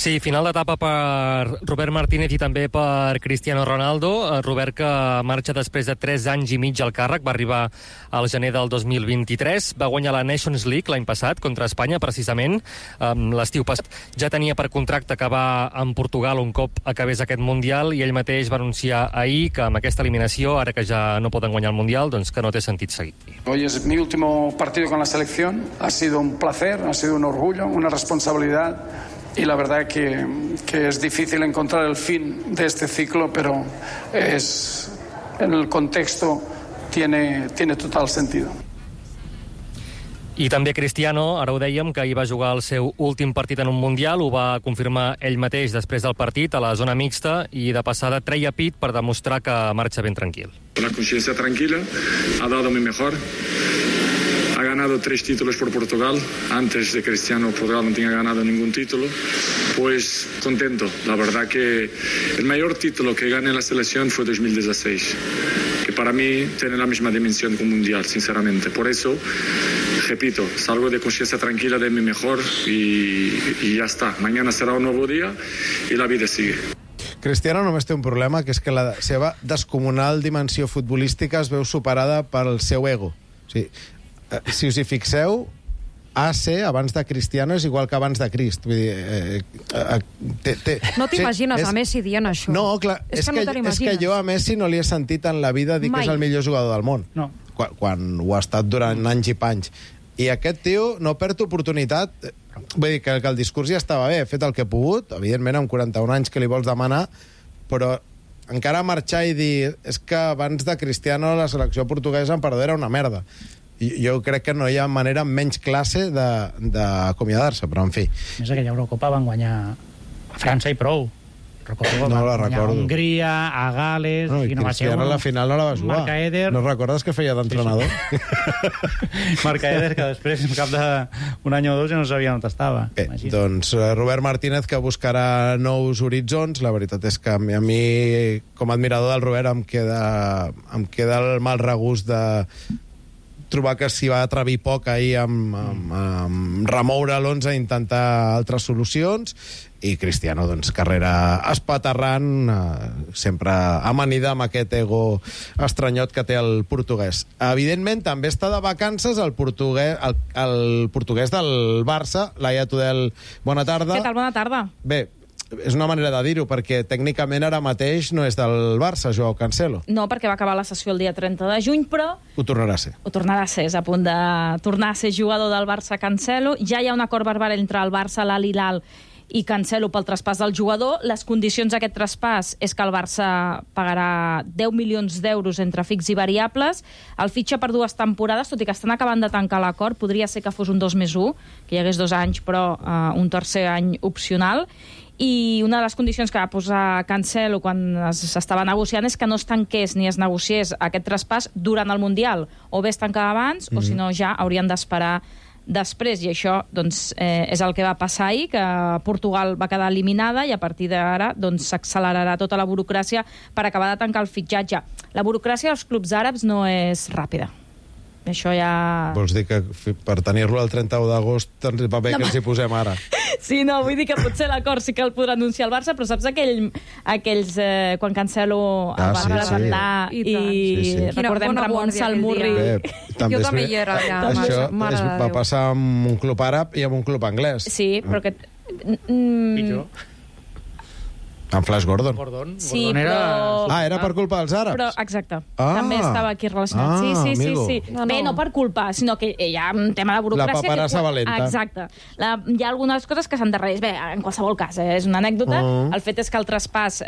Sí, final d'etapa per Robert Martínez i també per Cristiano Ronaldo. Robert, que marxa després de 3 anys i mig al càrrec, va arribar al gener del 2023, va guanyar la Nations League l'any passat contra Espanya, precisament. L'estiu passat ja tenia per contracte acabar en Portugal un cop acabés aquest Mundial, i ell mateix va anunciar ahir que amb aquesta eliminació, ara que ja no poden guanyar el Mundial, doncs que no té sentit seguir. Hoy es mi último partido con la selección. Ha sido un placer, ha sido un orgullo, una responsabilidad. Y la verdad que es difícil encontrar el fin de este ciclo, pero en el contexto tiene total sentido. I també Cristiano, ara ho dèiem, que ahir va jugar el seu últim partit en un Mundial, ho va confirmar ell mateix després del partit a la zona mixta, i de passada treia pit per demostrar que marxa ben tranquil. La conciencia tranquila, ha dado mi mejor. Ha ganado 3 títulos por Portugal. Antes de Cristiano, Portugal no tenía ganado ningún título. Pues contento. La verdad que el mayor título que gané en la selección fue 2016, que para mí tiene la misma dimensión que un mundial, sinceramente. Por eso, repito, salgo de conciencia tranquila de mi mejor y ya está. Mañana será un nuevo día y la vida sigue. Cristiano només té un problema, que és que la seva descomunal dimensió futbolística es veu superada pel seu ego. O sigui, si us hi fixeu, AC abans de Cristiano és igual que abans de Crist. Vull dir, no t'imagines a Messi dient això. No, clar, és que jo a Messi no li he sentit en la vida dir que és el millor jugador del món. No. Quan ho ha estat durant anys i panys. I aquest tio no perd oportunitat. Vull dir que el discurs ja estava bé, ha fet el que ha pogut, evidentment amb 41 anys que li vols demanar, però encara marxar i dir és que abans de Cristiano la selecció portuguesa en perdó era una merda. Jo crec que no hi ha manera menys classe d'acomiadar-se, però en fi. Més aquella Eurocopa van guanyar a França i prou. No la recordo. A Hongria, a Gales... No, i Cristiano a la final no la va jugar. No recordes que feia d'entrenador? Marc Eder, que després, en cap d'un any o dos, ja no sabia on estava. Bé, doncs Robert Martínez, que buscarà nous horitzons. La veritat és que a mi, com a admirador del Robert, em queda el mal regust de trobar que s'hi va atrevir poc ahir amb remoure l'11 i intentar altres solucions, i Cristiano, doncs, carrera espaterrant, sempre amanida amb aquest ego estranyot que té el portuguès. Evidentment, també està de vacances el portuguès del Barça, Laia Tudel, bona tarda. Què tal? Bona tarda. Bé, és una manera de dir-ho, perquè tècnicament ara mateix no és del Barça, Joao Cancelo. No, perquè va acabar la sessió el dia 30 de juny, però... Ho tornarà a ser. Ho tornarà a ser, és a punt de tornar a ser jugador del Barça Cancelo. Ja hi ha un acord verbal entre el Barça, l'Al-Hilal i Cancelo pel traspàs del jugador. Les condicions d'aquest traspàs és que el Barça pagarà 10 milions d'euros entre fix i variables. El fitxa per 2 temporades, tot i que estan acabant de tancar l'acord, podria ser que fos un 2+1, que hi hagués 2 anys, però un tercer any opcional. I una de les condicions que va posar Cancelo quan s'estava negociant és que no es tanqués ni es negociés aquest traspàs durant el Mundial. O bé es tancava abans, o si no ja haurien d'esperar després, i això doncs, és el que va passar ahir, que Portugal va quedar eliminada i a partir d'ara doncs, s'accelerarà tota la burocràcia per acabar de tancar el fitxatge. La burocràcia dels clubs àrabs no és ràpida. això ja... Vols dir que per tenir-lo el 31 d'agost ens va bé que ens hi posem ara? Sí, no, vull dir que potser l'acord sí que el podrà anunciar el Barça, però saps aquells quan Cancelo el va presentar i recordem Ramon Salmurri. Jo també hi era allà. Això va passar amb un club àrab i amb un club anglès. Sí, però que... Pitjor. Amb Flash Gordon. Sí, però... era per culpa dels àrabs? Però, exacte. També estava aquí relacionat. Sí. Bé, no per culpa, sinó que hi ha un tema de burocràcia... La paperassa valenta. Exacte. Hi ha algunes coses que s'endarrereix. Bé, en qualsevol cas, és una anècdota. El fet és que el traspàs,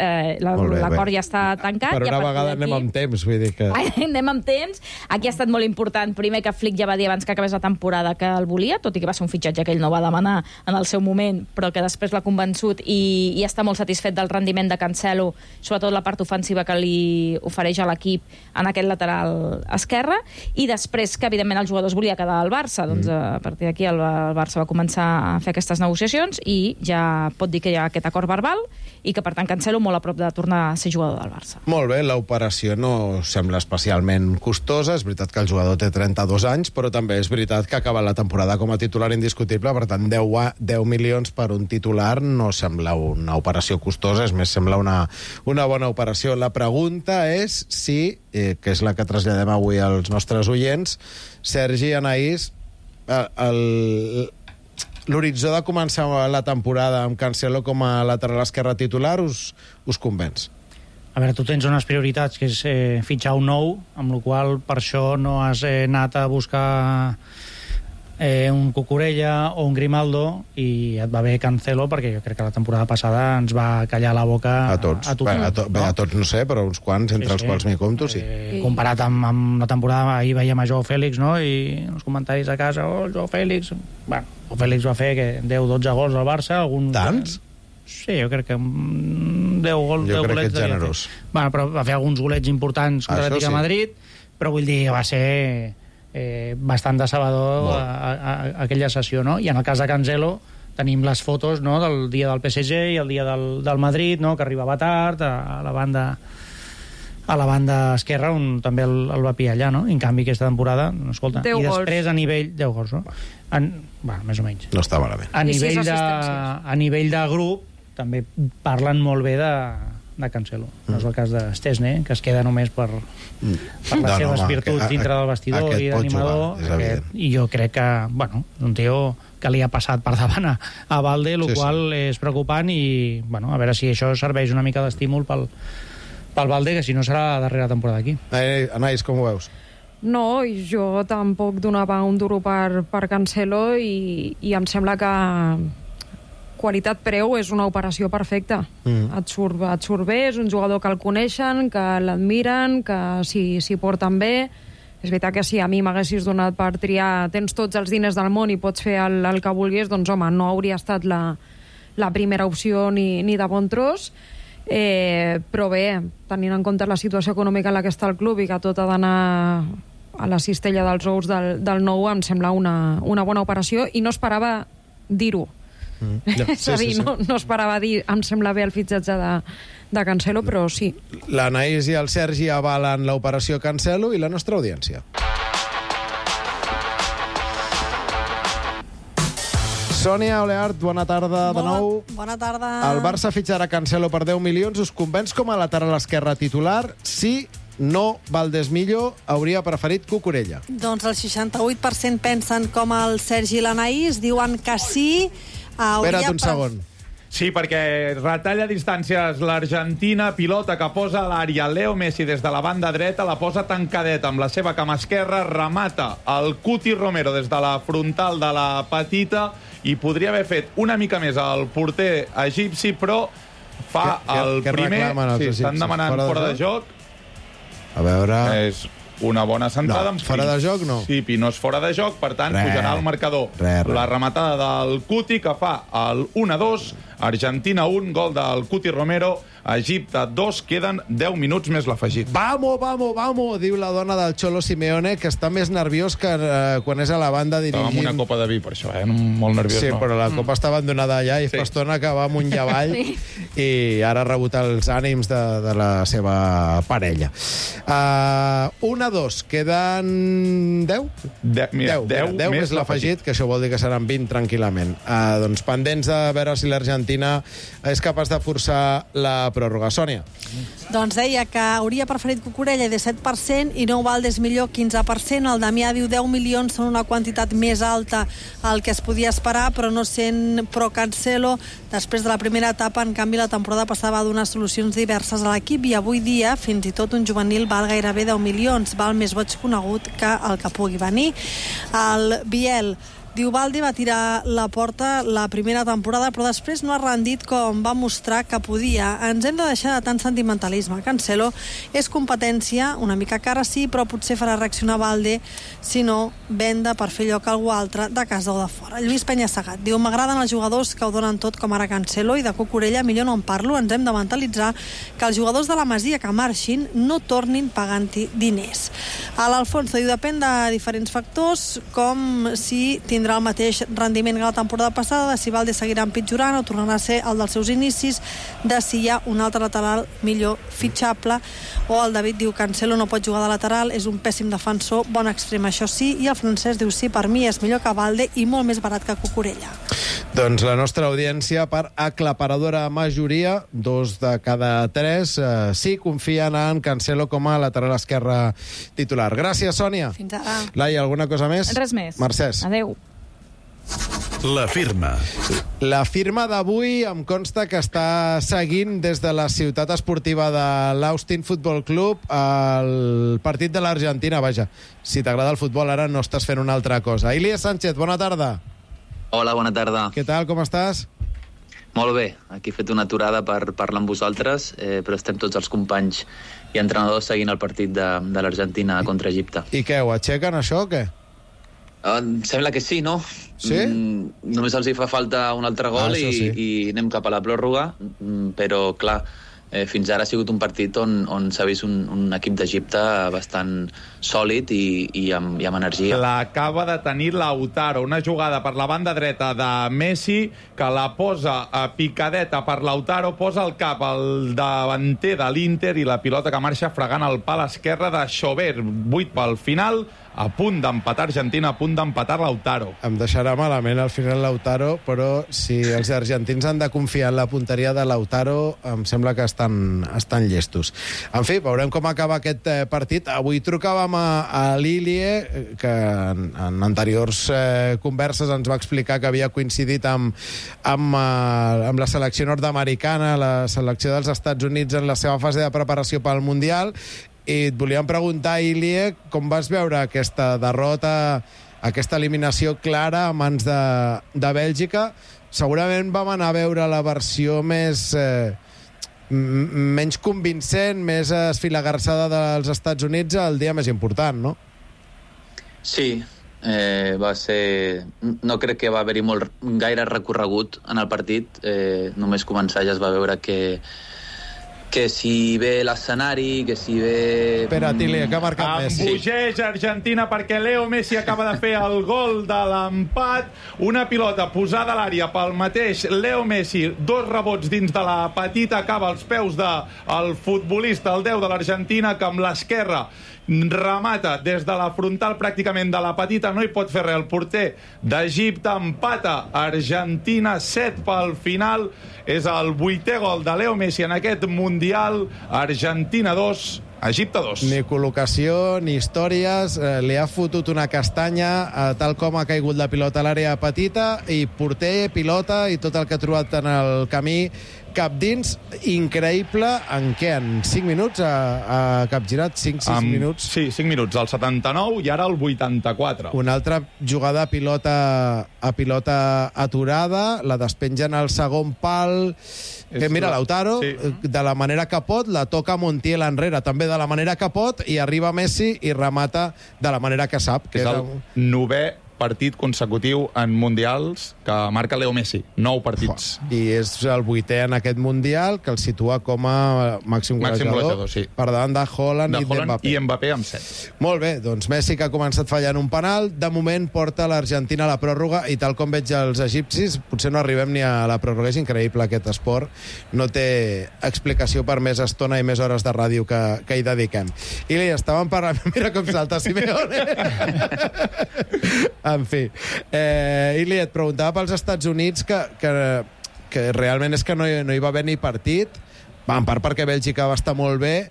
l'acord ja està tancat. Per una vegada anem amb temps, vull dir que... Anem amb temps. Aquí ha estat molt important. Primer que Flick ja va dir abans que acabés la temporada que el volia, tot i que va ser un fitxatge que ell no va demanar en el seu moment, però que després l'ha convençut i està molt satisfet del rendiment de Cancelo, sobretot la part ofensiva que li ofereix a l'equip en aquest lateral esquerre, i després que, evidentment, el jugador es volia quedar al Barça. Doncs a partir d'aquí el Barça va començar a fer aquestes negociacions i ja pot dir que hi ha aquest acord verbal i que, per tant, Cancelo molt a prop de tornar a ser jugador del Barça. Molt bé, l'operació no sembla especialment costosa. És veritat que el jugador té 32 anys, però també és veritat que acaba la temporada com a titular indiscutible. Per tant, 10 milions per un titular no sembla una operació costosa, és més, sembla una bona operació. La pregunta és si, que és la que traslladem avui als nostres oients, Sergi, Anaïs, l'horitzó de començar la temporada amb Cancelo com a lateral esquerre titular us convenç? A veure, tu tens unes prioritats, que és fitxar un nou, amb la qual per això no has anat a buscar un Cucurella o un Grimaldo, i et va bé Cancelo, perquè jo crec que la temporada passada ens va callar la boca a tots. A tots no sé, però uns quants, entre els quals m'hi compto, sí. Comparat amb la temporada, ahir veiem a Joao Félix, no? I els comentaris a casa, Joao Félix... Bueno, Joao Félix va fer 10-12 gols al Barça. Tants? Sí, jo crec que 10 gols... Jo crec que ets generós. Bueno, però va fer alguns golets importants contra l'Atlètic de Madrid, però vull dir, va ser... bastant decebedor aquella sessió, no? I en el cas de Cancelo tenim les fotos, no?, del dia del PSG i el dia del Madrid, no?, que arribava tard a la banda esquerra, on també el va pillar allà, no? I en canvi aquesta temporada, escolta, i després a nivell... 10 gols, no? Bueno, més o menys. No està malament. A nivell de grup també parlen molt bé de Cancelo. No és el cas de Szczesny, que es queda només per les seves virtuts dintre del vestidor i d'animador. I jo crec que, bueno, un tio que li ha passat per davant a Valde, el qual és preocupant, i, bueno, a veure si això serveix una mica d'estímul pel Valde, que si no serà la darrera temporada aquí. Anaïs, com ho veus? No, jo tampoc donava un duro per Cancelo i em sembla que qualitat-preu és una operació perfecta. Et surt bé, és un jugador que el coneixen, que l'admiren, que s'hi porten bé. És veritat que si a mi m'haguessis donat per triar, tens tots els diners del món i pots fer el que vulguis, doncs home, no hauria estat la primera opció ni de bon tros. Però bé, tenint en compte la situació econòmica en la que està el club i que tot ha d'anar a la cistella dels ous del nou, em sembla una bona operació, i no esperava dir-ho. És a dir, no esperava dir em sembla bé el fitxatge de Cancelo, però sí. L'Anaïs i el Sergi avalen l'operació Cancelo i la nostra audiència. Sònia Oleart, bona tarda de nou. Bona tarda. El Barça fitxarà Cancelo per 10 milions. Us convenç com a lateral esquerre titular? Sí, no, Valdés-Millo hauria preferit Cucurella. Doncs el 68% pensen com el Sergi i l'Anaïs, diuen que sí. Espera't un segon. Sí, perquè retalla distàncies l'Argentina, pilota que posa a l'àrea. Leo Messi des de la banda dreta la posa tancadeta amb la seva cama esquerra, remata el Cuti Romero des de la frontal de la petita i podria haver fet una mica més el porter egipci, però fa el primer... Sí, estan demanant fora de joc. A veure... És una bona centrada. No, fora de joc no. Sí, no és fora de joc, per tant, pujarà al marcador. La rematada del Cuti, que fa el 1-2 Argentina 1, gol del Cuti Romero, Egipte 2, queden 10 minuts més l'afegit. Vamos, diu la dona del Cholo Simeone, que està més nerviós que quan és a la banda dirigint. Estava amb una copa de vi, per això, molt nerviós. Sí, no? però la copa estava abandonada allà i fa estona que va amunt i avall i ara ha rebut els ànims de la seva parella. 1-2, queden 10? 10 més l'afegit, que això vol dir que seran 20 tranquil·lament. Doncs pendents de veure si l'Argentina és capaç de forçar la pròrroga. Sònia. Doncs deia que hauria preferit Cucurella 17% i Nou Valdés millor 15%. El Damià diu 10 milions són una quantitat més alta al que es podia esperar, però no sent pro Cancelo. Després de la primera etapa, en canvi, la temporada passada va donar solucions diverses a l'equip i avui dia fins i tot un juvenil val gairebé 10 milions. Val més boig conegut que el que pugui venir. El Biel diu Baldi va tirar la porta la primera temporada, però després no ha rendit com va mostrar que podia. Ens hem de deixar de tant sentimentalisme. Cancelo és competència, una mica cara sí, però potser farà reaccionar Baldi si no venda per fer lloc a algú altre de casa o de fora. Lluís Penyassegat diu m'agraden els jugadors que ho donen tot com ara Cancelo i de Cucurella millor no en parlo. Ens hem de mentalitzar que els jugadors de la Masia que marxin no tornin pagant-hi diners. A l'Alfonso diu depèn de diferents factors, com si tindrà el mateix rendiment que la temporada passada, de si Valde seguirà empitjorant o tornarà a ser el dels seus inicis, de si hi ha un altre lateral millor fitxable. O el David diu Cancelo no pot jugar de lateral, és un pèssim defensor, bon extrem, això sí. I el Francesc diu sí, per mi és millor que Valde i molt més barat que Cucurella. Doncs la nostra audiència, per aclaparadora majoria, 2 de cada 3, sí confien en Cancelo com a lateral esquerre titular. Gràcies, Sònia. Fins ara. Laia, alguna cosa més? Res més. Mercès. Adéu. La firma. La firma d'avui em consta que està seguint des de la ciutat esportiva de l'Austin Football Club el partit de l'Argentina. Vaja, si t'agrada el futbol ara no estàs fent una altra cosa. Ilías Sánchez, bona tarda. Hola, bona tarda. Què tal, com estàs? Molt bé, aquí he fet una aturada per parlar amb vosaltres, però estem tots els companys i entrenadors seguint el partit de l'Argentina contra Egipte. I què, ho aixequen això o què? Sembla que sí, no? Sí? Només els hi fa falta un altre gol i anem cap a la pròrroga, però clar, fins ara ha sigut un partit on s'ha vist un equip d'Egipte bastant sòlid i amb energia. L'acaba de tenir Lautaro, una jugada per la banda dreta de Messi, que la posa a picadeta per Lautaro, posa el cap al davanter de l'Inter i la pilota que marxa fregant el pal esquerre de Chauvert. 8 pel final, a punt d'empatar Argentina, a punt d'empatar Lautaro. Em deixarà malament al final Lautaro, però si els argentins han de confiar en la punteria de Lautaro, em sembla que estan llestos. En fi, veurem com acaba aquest partit. Avui trucàvem a l'Ilie, que en anteriors converses ens va explicar que havia coincidit amb la selecció nord-americana, la selecció dels Estats Units en la seva fase de preparació pel Mundial, i et volíem preguntar, Ilie, com vas veure aquesta derrota, aquesta eliminació clara a mans de Bèlgica? Segurament vam anar a veure la versió menys convincent, més esfilagarçada dels Estats Units el dia més important, no? Sí, va ser... No crec que va haver-hi gaire recorregut en el partit. Només començar ja es va veure que si ve l'escenari, que si ve... Espera't, Ilie, que ha marcat Messi. Embogeix Argentina perquè Leo Messi acaba de fer el gol de l'empat. Una pilota posada a l'àrea pel mateix Leo Messi. 2 rebots dins de la petita, acaba als peus del futbolista, el 10 de l'Argentina, que amb l'esquerra remata des de la frontal pràcticament de la petita, no hi pot fer res el porter d'Egipte, empata Argentina, 7 pel final, és el 8è gol de Leo Messi en aquest Mundial. Argentina 2, Egipte 2. Ni col·locació, ni històries, li ha fotut una castanya tal com ha caigut la pilota a l'àrea petita, i porter, pilota i tot el que ha trobat en el camí cap dins. Increïble. En què? En 5 minuts ha capgirat? 5-6 minuts? Sí, 5 minuts, al 79 i ara al 84. Una altra jugada a pilota aturada, la despengen al segon pal. Mira, Lautaro, de la manera que pot, la toca Montiel enrere, també de la manera que pot, i arriba Messi i remata de la manera que sap. És el 9è partit consecutiu en mundials que marca Leo Messi. 9 partits. I és el 8è en aquest mundial, que el situa com a màxim golejador, sí. Per davant de Haaland i d'Mbappé. I Mbappé amb 7. Molt bé, doncs Messi, que ha començat fallant un penal, de moment porta l'Argentina a la pròrroga, i tal com veig els egipcis, potser no arribem ni a la pròrroga. És increïble aquest esport. No té explicació per més estona i més hores de ràdio que hi dediquem. I li estàvem parlant... Mira com salta Simeone! En fi. Ili, et preguntava pels Estats Units que realment és que no hi va haver ni partit, en part perquè Bèlgica va estar molt bé,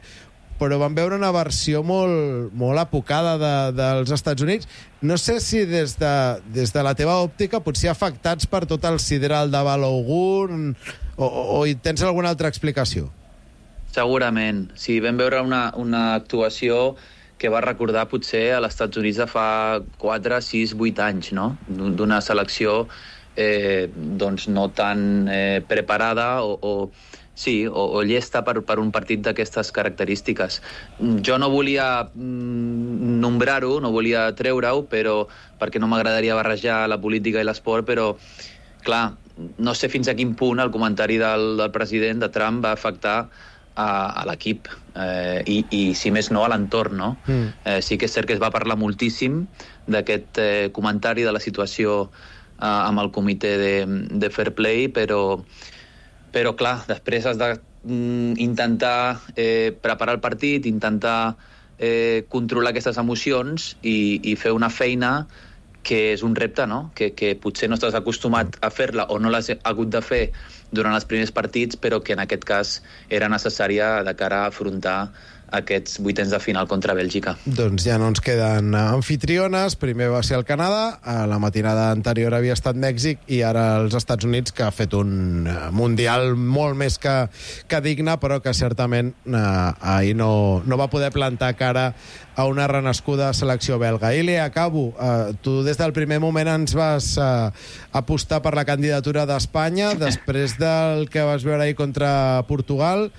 però vam veure una versió molt apocada dels Estats Units. No sé si des de la teva òptica, potser afectats per tot el sideral de Balogun, o hi tens alguna altra explicació? Segurament. Sí, vam veure una actuació que va recordar potser a els Estats Units de fa 4, 6, 8 anys, no? D'una selecció doncs no tan preparada o llesta per un partit d'aquestes característiques. Jo no volia nombrar-ho, no volia treure-ho, perquè no m'agradaria barrejar la política i l'esport, però, clar, no sé fins a quin punt el comentari del president, de Trump, va afectar a l'equip i, si més no, a l'entorn, no? Sí que és cert que es va parlar moltíssim d'aquest comentari de la situació amb el comitè de Fair Play, però clar, després has d'intentar preparar el partit, intentar controlar aquestes emocions i fer una feina que és un repte, no? Que potser no estàs acostumat a fer-la o no l'has hagut de fer durant els primers partits, però que en aquest cas era necessària de cara a afrontar aquests vuitens de final contra Bèlgica. Doncs ja no ens queden anfitriones. Primer va ser el Canadà, a la matinada anterior havia estat Mèxic i ara els Estats Units, que ha fet un mundial molt més que digne, però que certament ahir no va poder plantar cara a una renascuda selecció belga. Ili, acabo. Tu des del primer moment ens vas apostar per la candidatura d'Espanya, després del que vas veure ahir contra Portugal.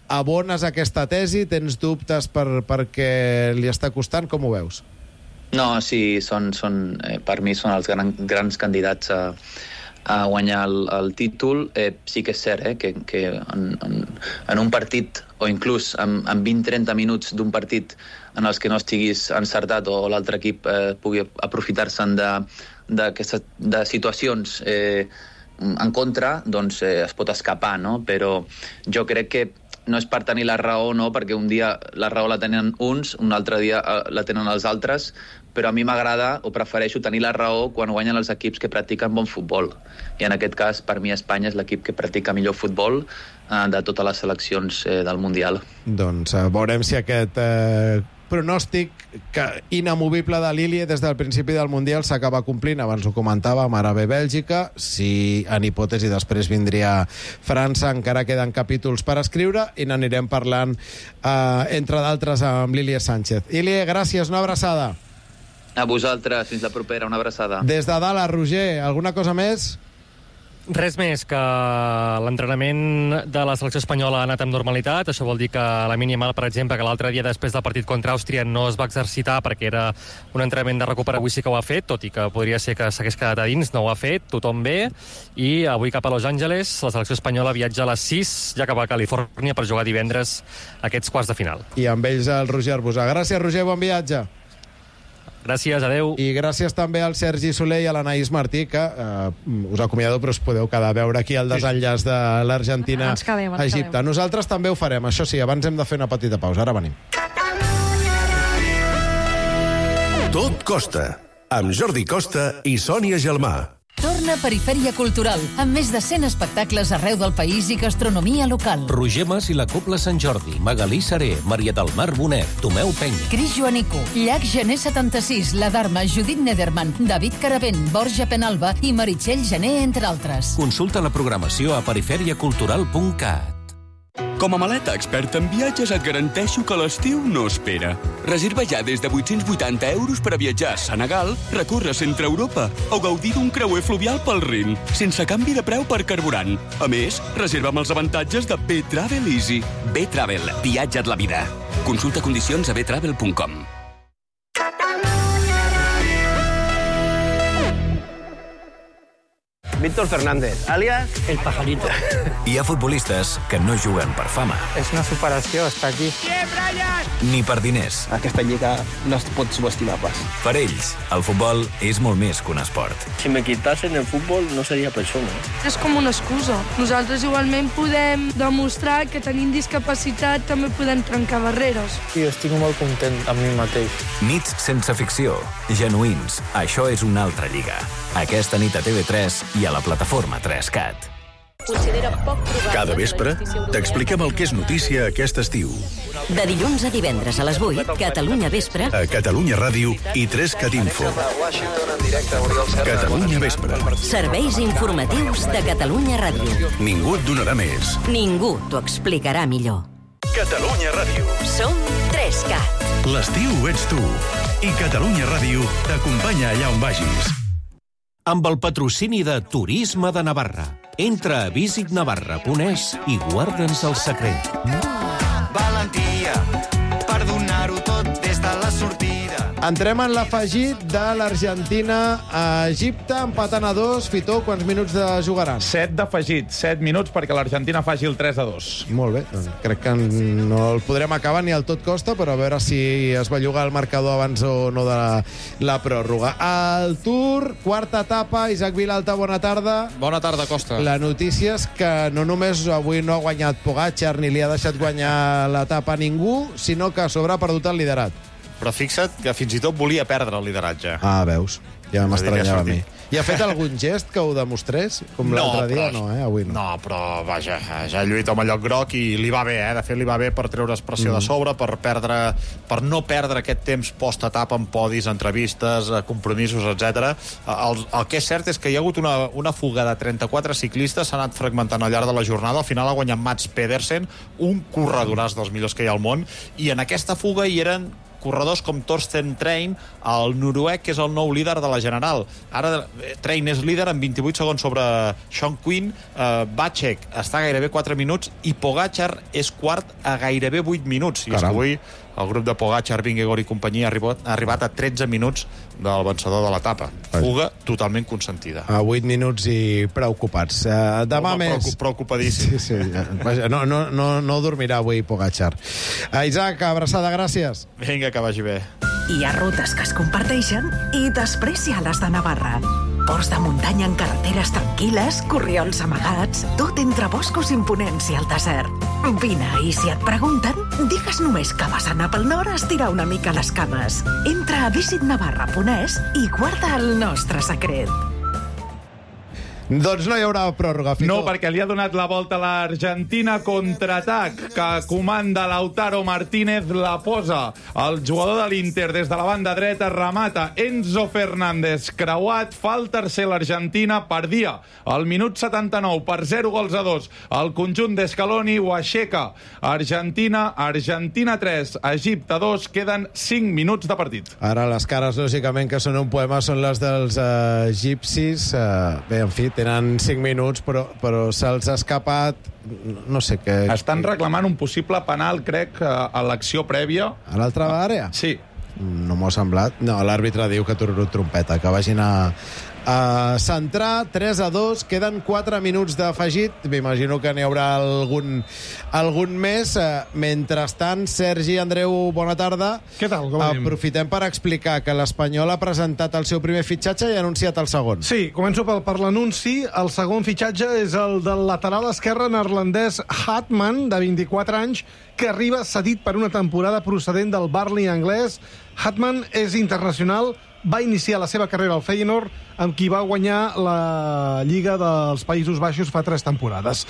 Abones aquesta tesi? Tens dubtes perquè li està costant? Com ho veus? No, sí, per mi són els grans candidats a guanyar el títol. Sí que és cert que en un partit, o inclús en 20-30 minuts d'un partit en els que no estiguis encertat o l'altre equip pugui aprofitar-se'n de situacions en contra, doncs es pot escapar, no? Però jo crec que no és per tenir la raó, no, perquè un dia la raó la tenen uns, un altre dia la tenen els altres, però a mi m'agrada o prefereixo tenir la raó quan guanyen els equips que practiquen bon futbol. I en aquest cas, per mi, Espanya és l'equip que practica millor futbol de totes les seleccions del Mundial. Doncs veurem si aquest pronòstic inamovible de l'Ili des del principi del Mundial s'acaba complint. Abans ho comentàvem, ara ve Bèlgica, si en hipòtesi després vindria França, encara queden capítols per escriure i n'anirem parlant entre d'altres amb l'Ili Sánchez. Ili, gràcies, una abraçada. A vosaltres, fins la propera, una abraçada. Des de Dallas, Roger, alguna cosa més? Res més, que l'entrenament de la selecció espanyola ha anat amb normalitat. Això vol dir que la mínima, per exemple, que l'altre dia després del partit contra Àustria no es va exercitar perquè era un entrenament de recuperació. Avui sí que ho ha fet, tot i que podria ser que s'hagués quedat a dins, no ho ha fet, tothom bé. I avui cap a Los Angeles, la selecció espanyola viatja a les 6, ja cap a Califòrnia, per jugar divendres aquests quarts de final. I amb ells el Roger Arbusà. Gràcies, Roger, bon viatge. Gràcies, adeu. I gràcies també al Sergi Soler i a l'Anaïs Martí, que us acomiado, però us podeu quedar a veure aquí el desenllaç de l'Argentina a Egipte. Nosaltres també ho farem, això sí, abans hem de fer una petita pausa. Ara venim. Tot costa, amb Jordi Costa i Sònia Gelmà. Torna Perifèria Cultural, amb més de 100 espectacles arreu del país i gastronomia local. Roger Mas i la Cobla Sant Jordi, Magalí Saré, Maria del Mar Bonet, Tomeu Penya. Cris Joanico, Llac Gener 76, La Dharma, Judit Nederman, David Caravent, Borja Penalba i Meritxell Gené, entre altres. Consulta la programació a periferiacultural.cat. Com a maleta experta en viatges et garanteixo que l'estiu no espera. Reserva ja des de 880 euros per a viatjar a Senegal, recórrer centre Europa o gaudir d'un creuer fluvial pel Rin, sense canvi de preu per carburant. A més, reserva amb els avantatges de B-Travel Easy. B-Travel, viatja't la vida. Consulta condicions a btravel.com. Víctor Fernández, alias El Pajarito. Hi ha futbolistes que no juguen per fama. És una superació estar aquí. Ni per diners. Aquesta lliga no es pot subestimar pas. Per ells, el futbol és molt més que un esport. Si me quitasen el futbol, no seria persona. És com una excusa. Nosaltres igualment podem demostrar que tenim discapacitat, també podem trencar barreres. Jo estic molt content amb mi mateix. Nits sense ficció, genuïns. Això és una altra lliga. Aquesta nit a TV3 i a la plataforma 3CAT. Cada vespre t'expliquem el que és notícia aquest estiu. De dilluns a divendres a les 8, Catalunya Vespre. A Catalunya Ràdio i 3CAT Info. Catalunya Vespre. Serveis informatius de Catalunya Ràdio. Ningú et donarà més. Ningú t'ho explicarà millor. Catalunya Ràdio. Som 3CAT. L'estiu ets tu. I Catalunya Ràdio t'acompanya allà on vagis. Amb el patrocini de Turisme de Navarra. Entra a visitnavarra.es i guarda'ns el secret. Valentia per donar-ho tot des de la sortida. Entrem en l'afegit de l'Argentina a Egipte, empatant a 2. Fitó, quants minuts de jugaran? 7 d'afegit, 7 minuts perquè l'Argentina faci el 3-2. Molt bé, doncs crec que no el podrem acabar ni al tot costa, però a veure si es va jugar el marcador abans o no de la pròrroga. El Tour, quarta etapa, Isaac Vilalta, bona tarda. Bona tarda, Costa. La notícia és que no només avui no ha guanyat Pogačar ni li ha deixat guanyar l'etapa a ningú, sinó que a sobre ha perdut el liderat. Però fixa't que fins i tot volia perdre el lideratge. Ah, veus? Ja m'estranyava a mi. I ha fet algun gest que ho demostrés? Com l'altre dia? No, avui no. No, però vaja, ja ha lluit amb el lloc groc i li va bé, De fet, li va bé per treure's pressió de sobre, per no perdre aquest temps post-etapa en podis, entrevistes, compromisos, etc. El que és cert és que hi ha hagut una fuga de 34 ciclistes, s'ha anat fragmentant al llarg de la jornada. Al final ha guanyat Mats Pedersen, un corredoràs dels millors que hi ha al món, i en aquesta fuga hi eren corredors com Torsten Trein, el noruec, que és el nou líder de la General. Ara Trein és líder amb 28 segons sobre Sean Quinn, Vacek està a gairebé 4 minuts i Pogačar és quart a gairebé 8 minuts. I és que avui el grup de Pogačar, Vingegaard i companyia ha arribat a 13 minuts del vencedor de l'etapa. Fuga totalment consentida. A 8 minuts i preocupats. Demà més... Preocupadíssim. Sí. Vaja, no dormirà avui Pogačar. Isaac, abraçada, gràcies. Vinga, que vagi bé. Hi ha rutes que es comparteixen i després hi ha les de Navarra. Ports de muntanya en carreteres tranquil·les, corriols amagats, tot entre boscos imponents i el desert. Vine, i si et pregunten, digues només que vas anar pel nord a estirar una mica les cames. Entra a visitnavarra.es i guarda el nostre secret. Doncs no hi haurà pròrroga, Fito. No, perquè li ha donat la volta a l'Argentina, contraatac que comanda Lautaro Martínez, la posa el jugador de l'Inter des de la banda dreta, remata Enzo Fernández, creuat, fa el tercer l'Argentina, perdia al minut 79 per 0-2 el conjunt d'Escaloni, ho aixeca Argentina 3, Egipte 2, queden 5 minuts de partit. Ara les cares, lògicament, que són un poema, són les dels egipcis. Bé, en fi, tenen 5 minuts, però se'ls ha escapat, no sé què... Estan reclamant un possible penal, crec, a l'acció prèvia. A l'altra àrea? Sí. No m'ho ha semblat. No, l'àrbitre diu que tururut trompeta, que vagin a centrar. 3-2, queden 4 minuts d'afegit. M'imagino que n'hi haurà algun més. Mentrestant, Sergi, Andreu, bona tarda. Què tal? Com anem? Aprofitem per explicar que l'Espanyol ha presentat el seu primer fitxatge i ha anunciat el segon. Sí, començo per l'anunci. El segon fitxatge és el del lateral esquerre neerlandès Hatman, de 24 anys, que arriba cedit per una temporada procedent del Burnley anglès. Hatman és internacional, va iniciar la seva carrera al Feyenoord, amb qui va guanyar la Lliga dels Països Baixos fa 3 temporades.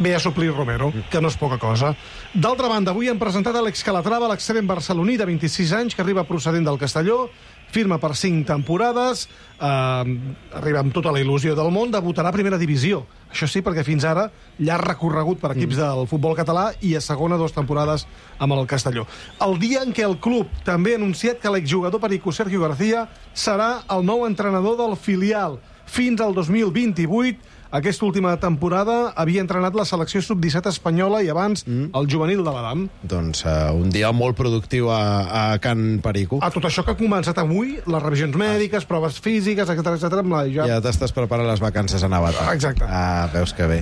Ve a suplir Romero, que no és poca cosa. D'altra banda, avui han presentat Àlex Calatrava, l'extrem barceloní de 26 anys, que arriba procedent del Castelló, firma per 5 temporades, arriba amb tota la il·lusió del món, debutarà a primera divisió. Això sí, perquè fins ara llarg recorregut per equips del futbol català i a segona 2 temporades amb el Castelló. El dia en què el club també ha anunciat que l'exjugador perico Sergio García serà el nou entrenador del filial fins al 2028, aquesta última temporada havia entrenat la selecció sub-17 espanyola i abans el juvenil de l'Adam. Doncs un dia molt productiu a Can Perico. A tot això que ha començat avui, les revisions mèdiques, proves físiques, etc. Ja t'estàs preparant les vacances a Navata. Exacte. Veus que bé.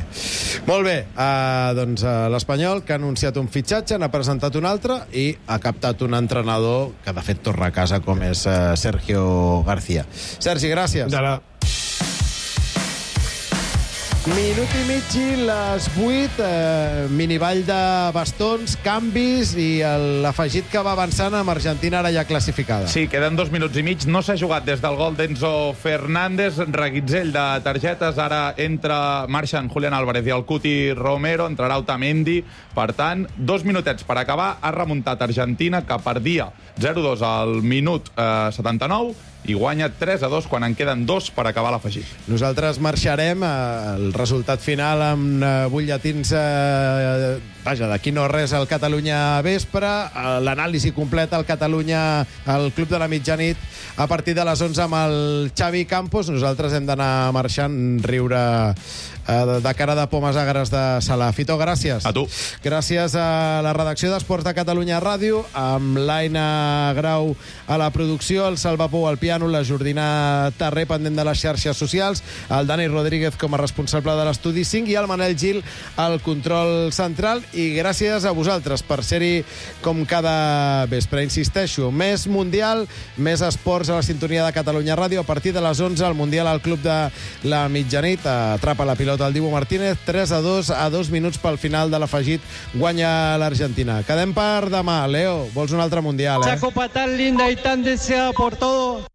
Molt bé, doncs l'Espanyol, que ha anunciat un fitxatge, n'ha presentat un altre i ha captat un entrenador que de fet torna a casa, com és Sergio García. Sergi, gràcies. D'ara. Minut i mig i les 8, miniball de bastons, canvis i l'afegit que va avançant amb Argentina ara ja classificada. Sí, queden 2 minuts i mig. No s'ha jugat des del gol d'Enzo Fernández. Reguitzell de targetes. Ara marxen Julián Álvarez i el Cuti Romero. Entrarà Otamendi. Per tant, 2 minutets per acabar. Ha remuntat Argentina, que perdia 0-2 al minut 79 i guanya 3-2 quan en queden 2 per acabar l'afegit. Nosaltres marxarem el resultat final amb butlletins d'aquí no res al Catalunya Vespre, l'anàlisi completa al Catalunya al Club de la Mitjanit a partir de les 11 amb el Xavi Campos. Nosaltres hem d'anar marxant, riure de cara de pomes agres de Sala. Fito, gràcies. A tu. Gràcies a la redacció d'Esports de Catalunya Ràdio, amb l'Aina Grau a la producció, el Salva Pou al piano, la Jordina Tarré pendent de les xarxes socials, el Dani Rodríguez com a responsable de l'Estudi 5 i el Manel Gil al control central. I gràcies a vosaltres per ser-hi com cada vespre. Insisteixo, més Mundial, més esports a la sintonia de Catalunya Ràdio. A partir de les 11, el Mundial al Club de la Mitjanit. Atrapa la pilota el Dibu Martínez, 3-2 a 2 minuts pel final de l'afegit. Guanya l'Argentina. Quedem per demà. Leo, vols un altre Mundial, Esa copa tan linda y tan deseada por todos.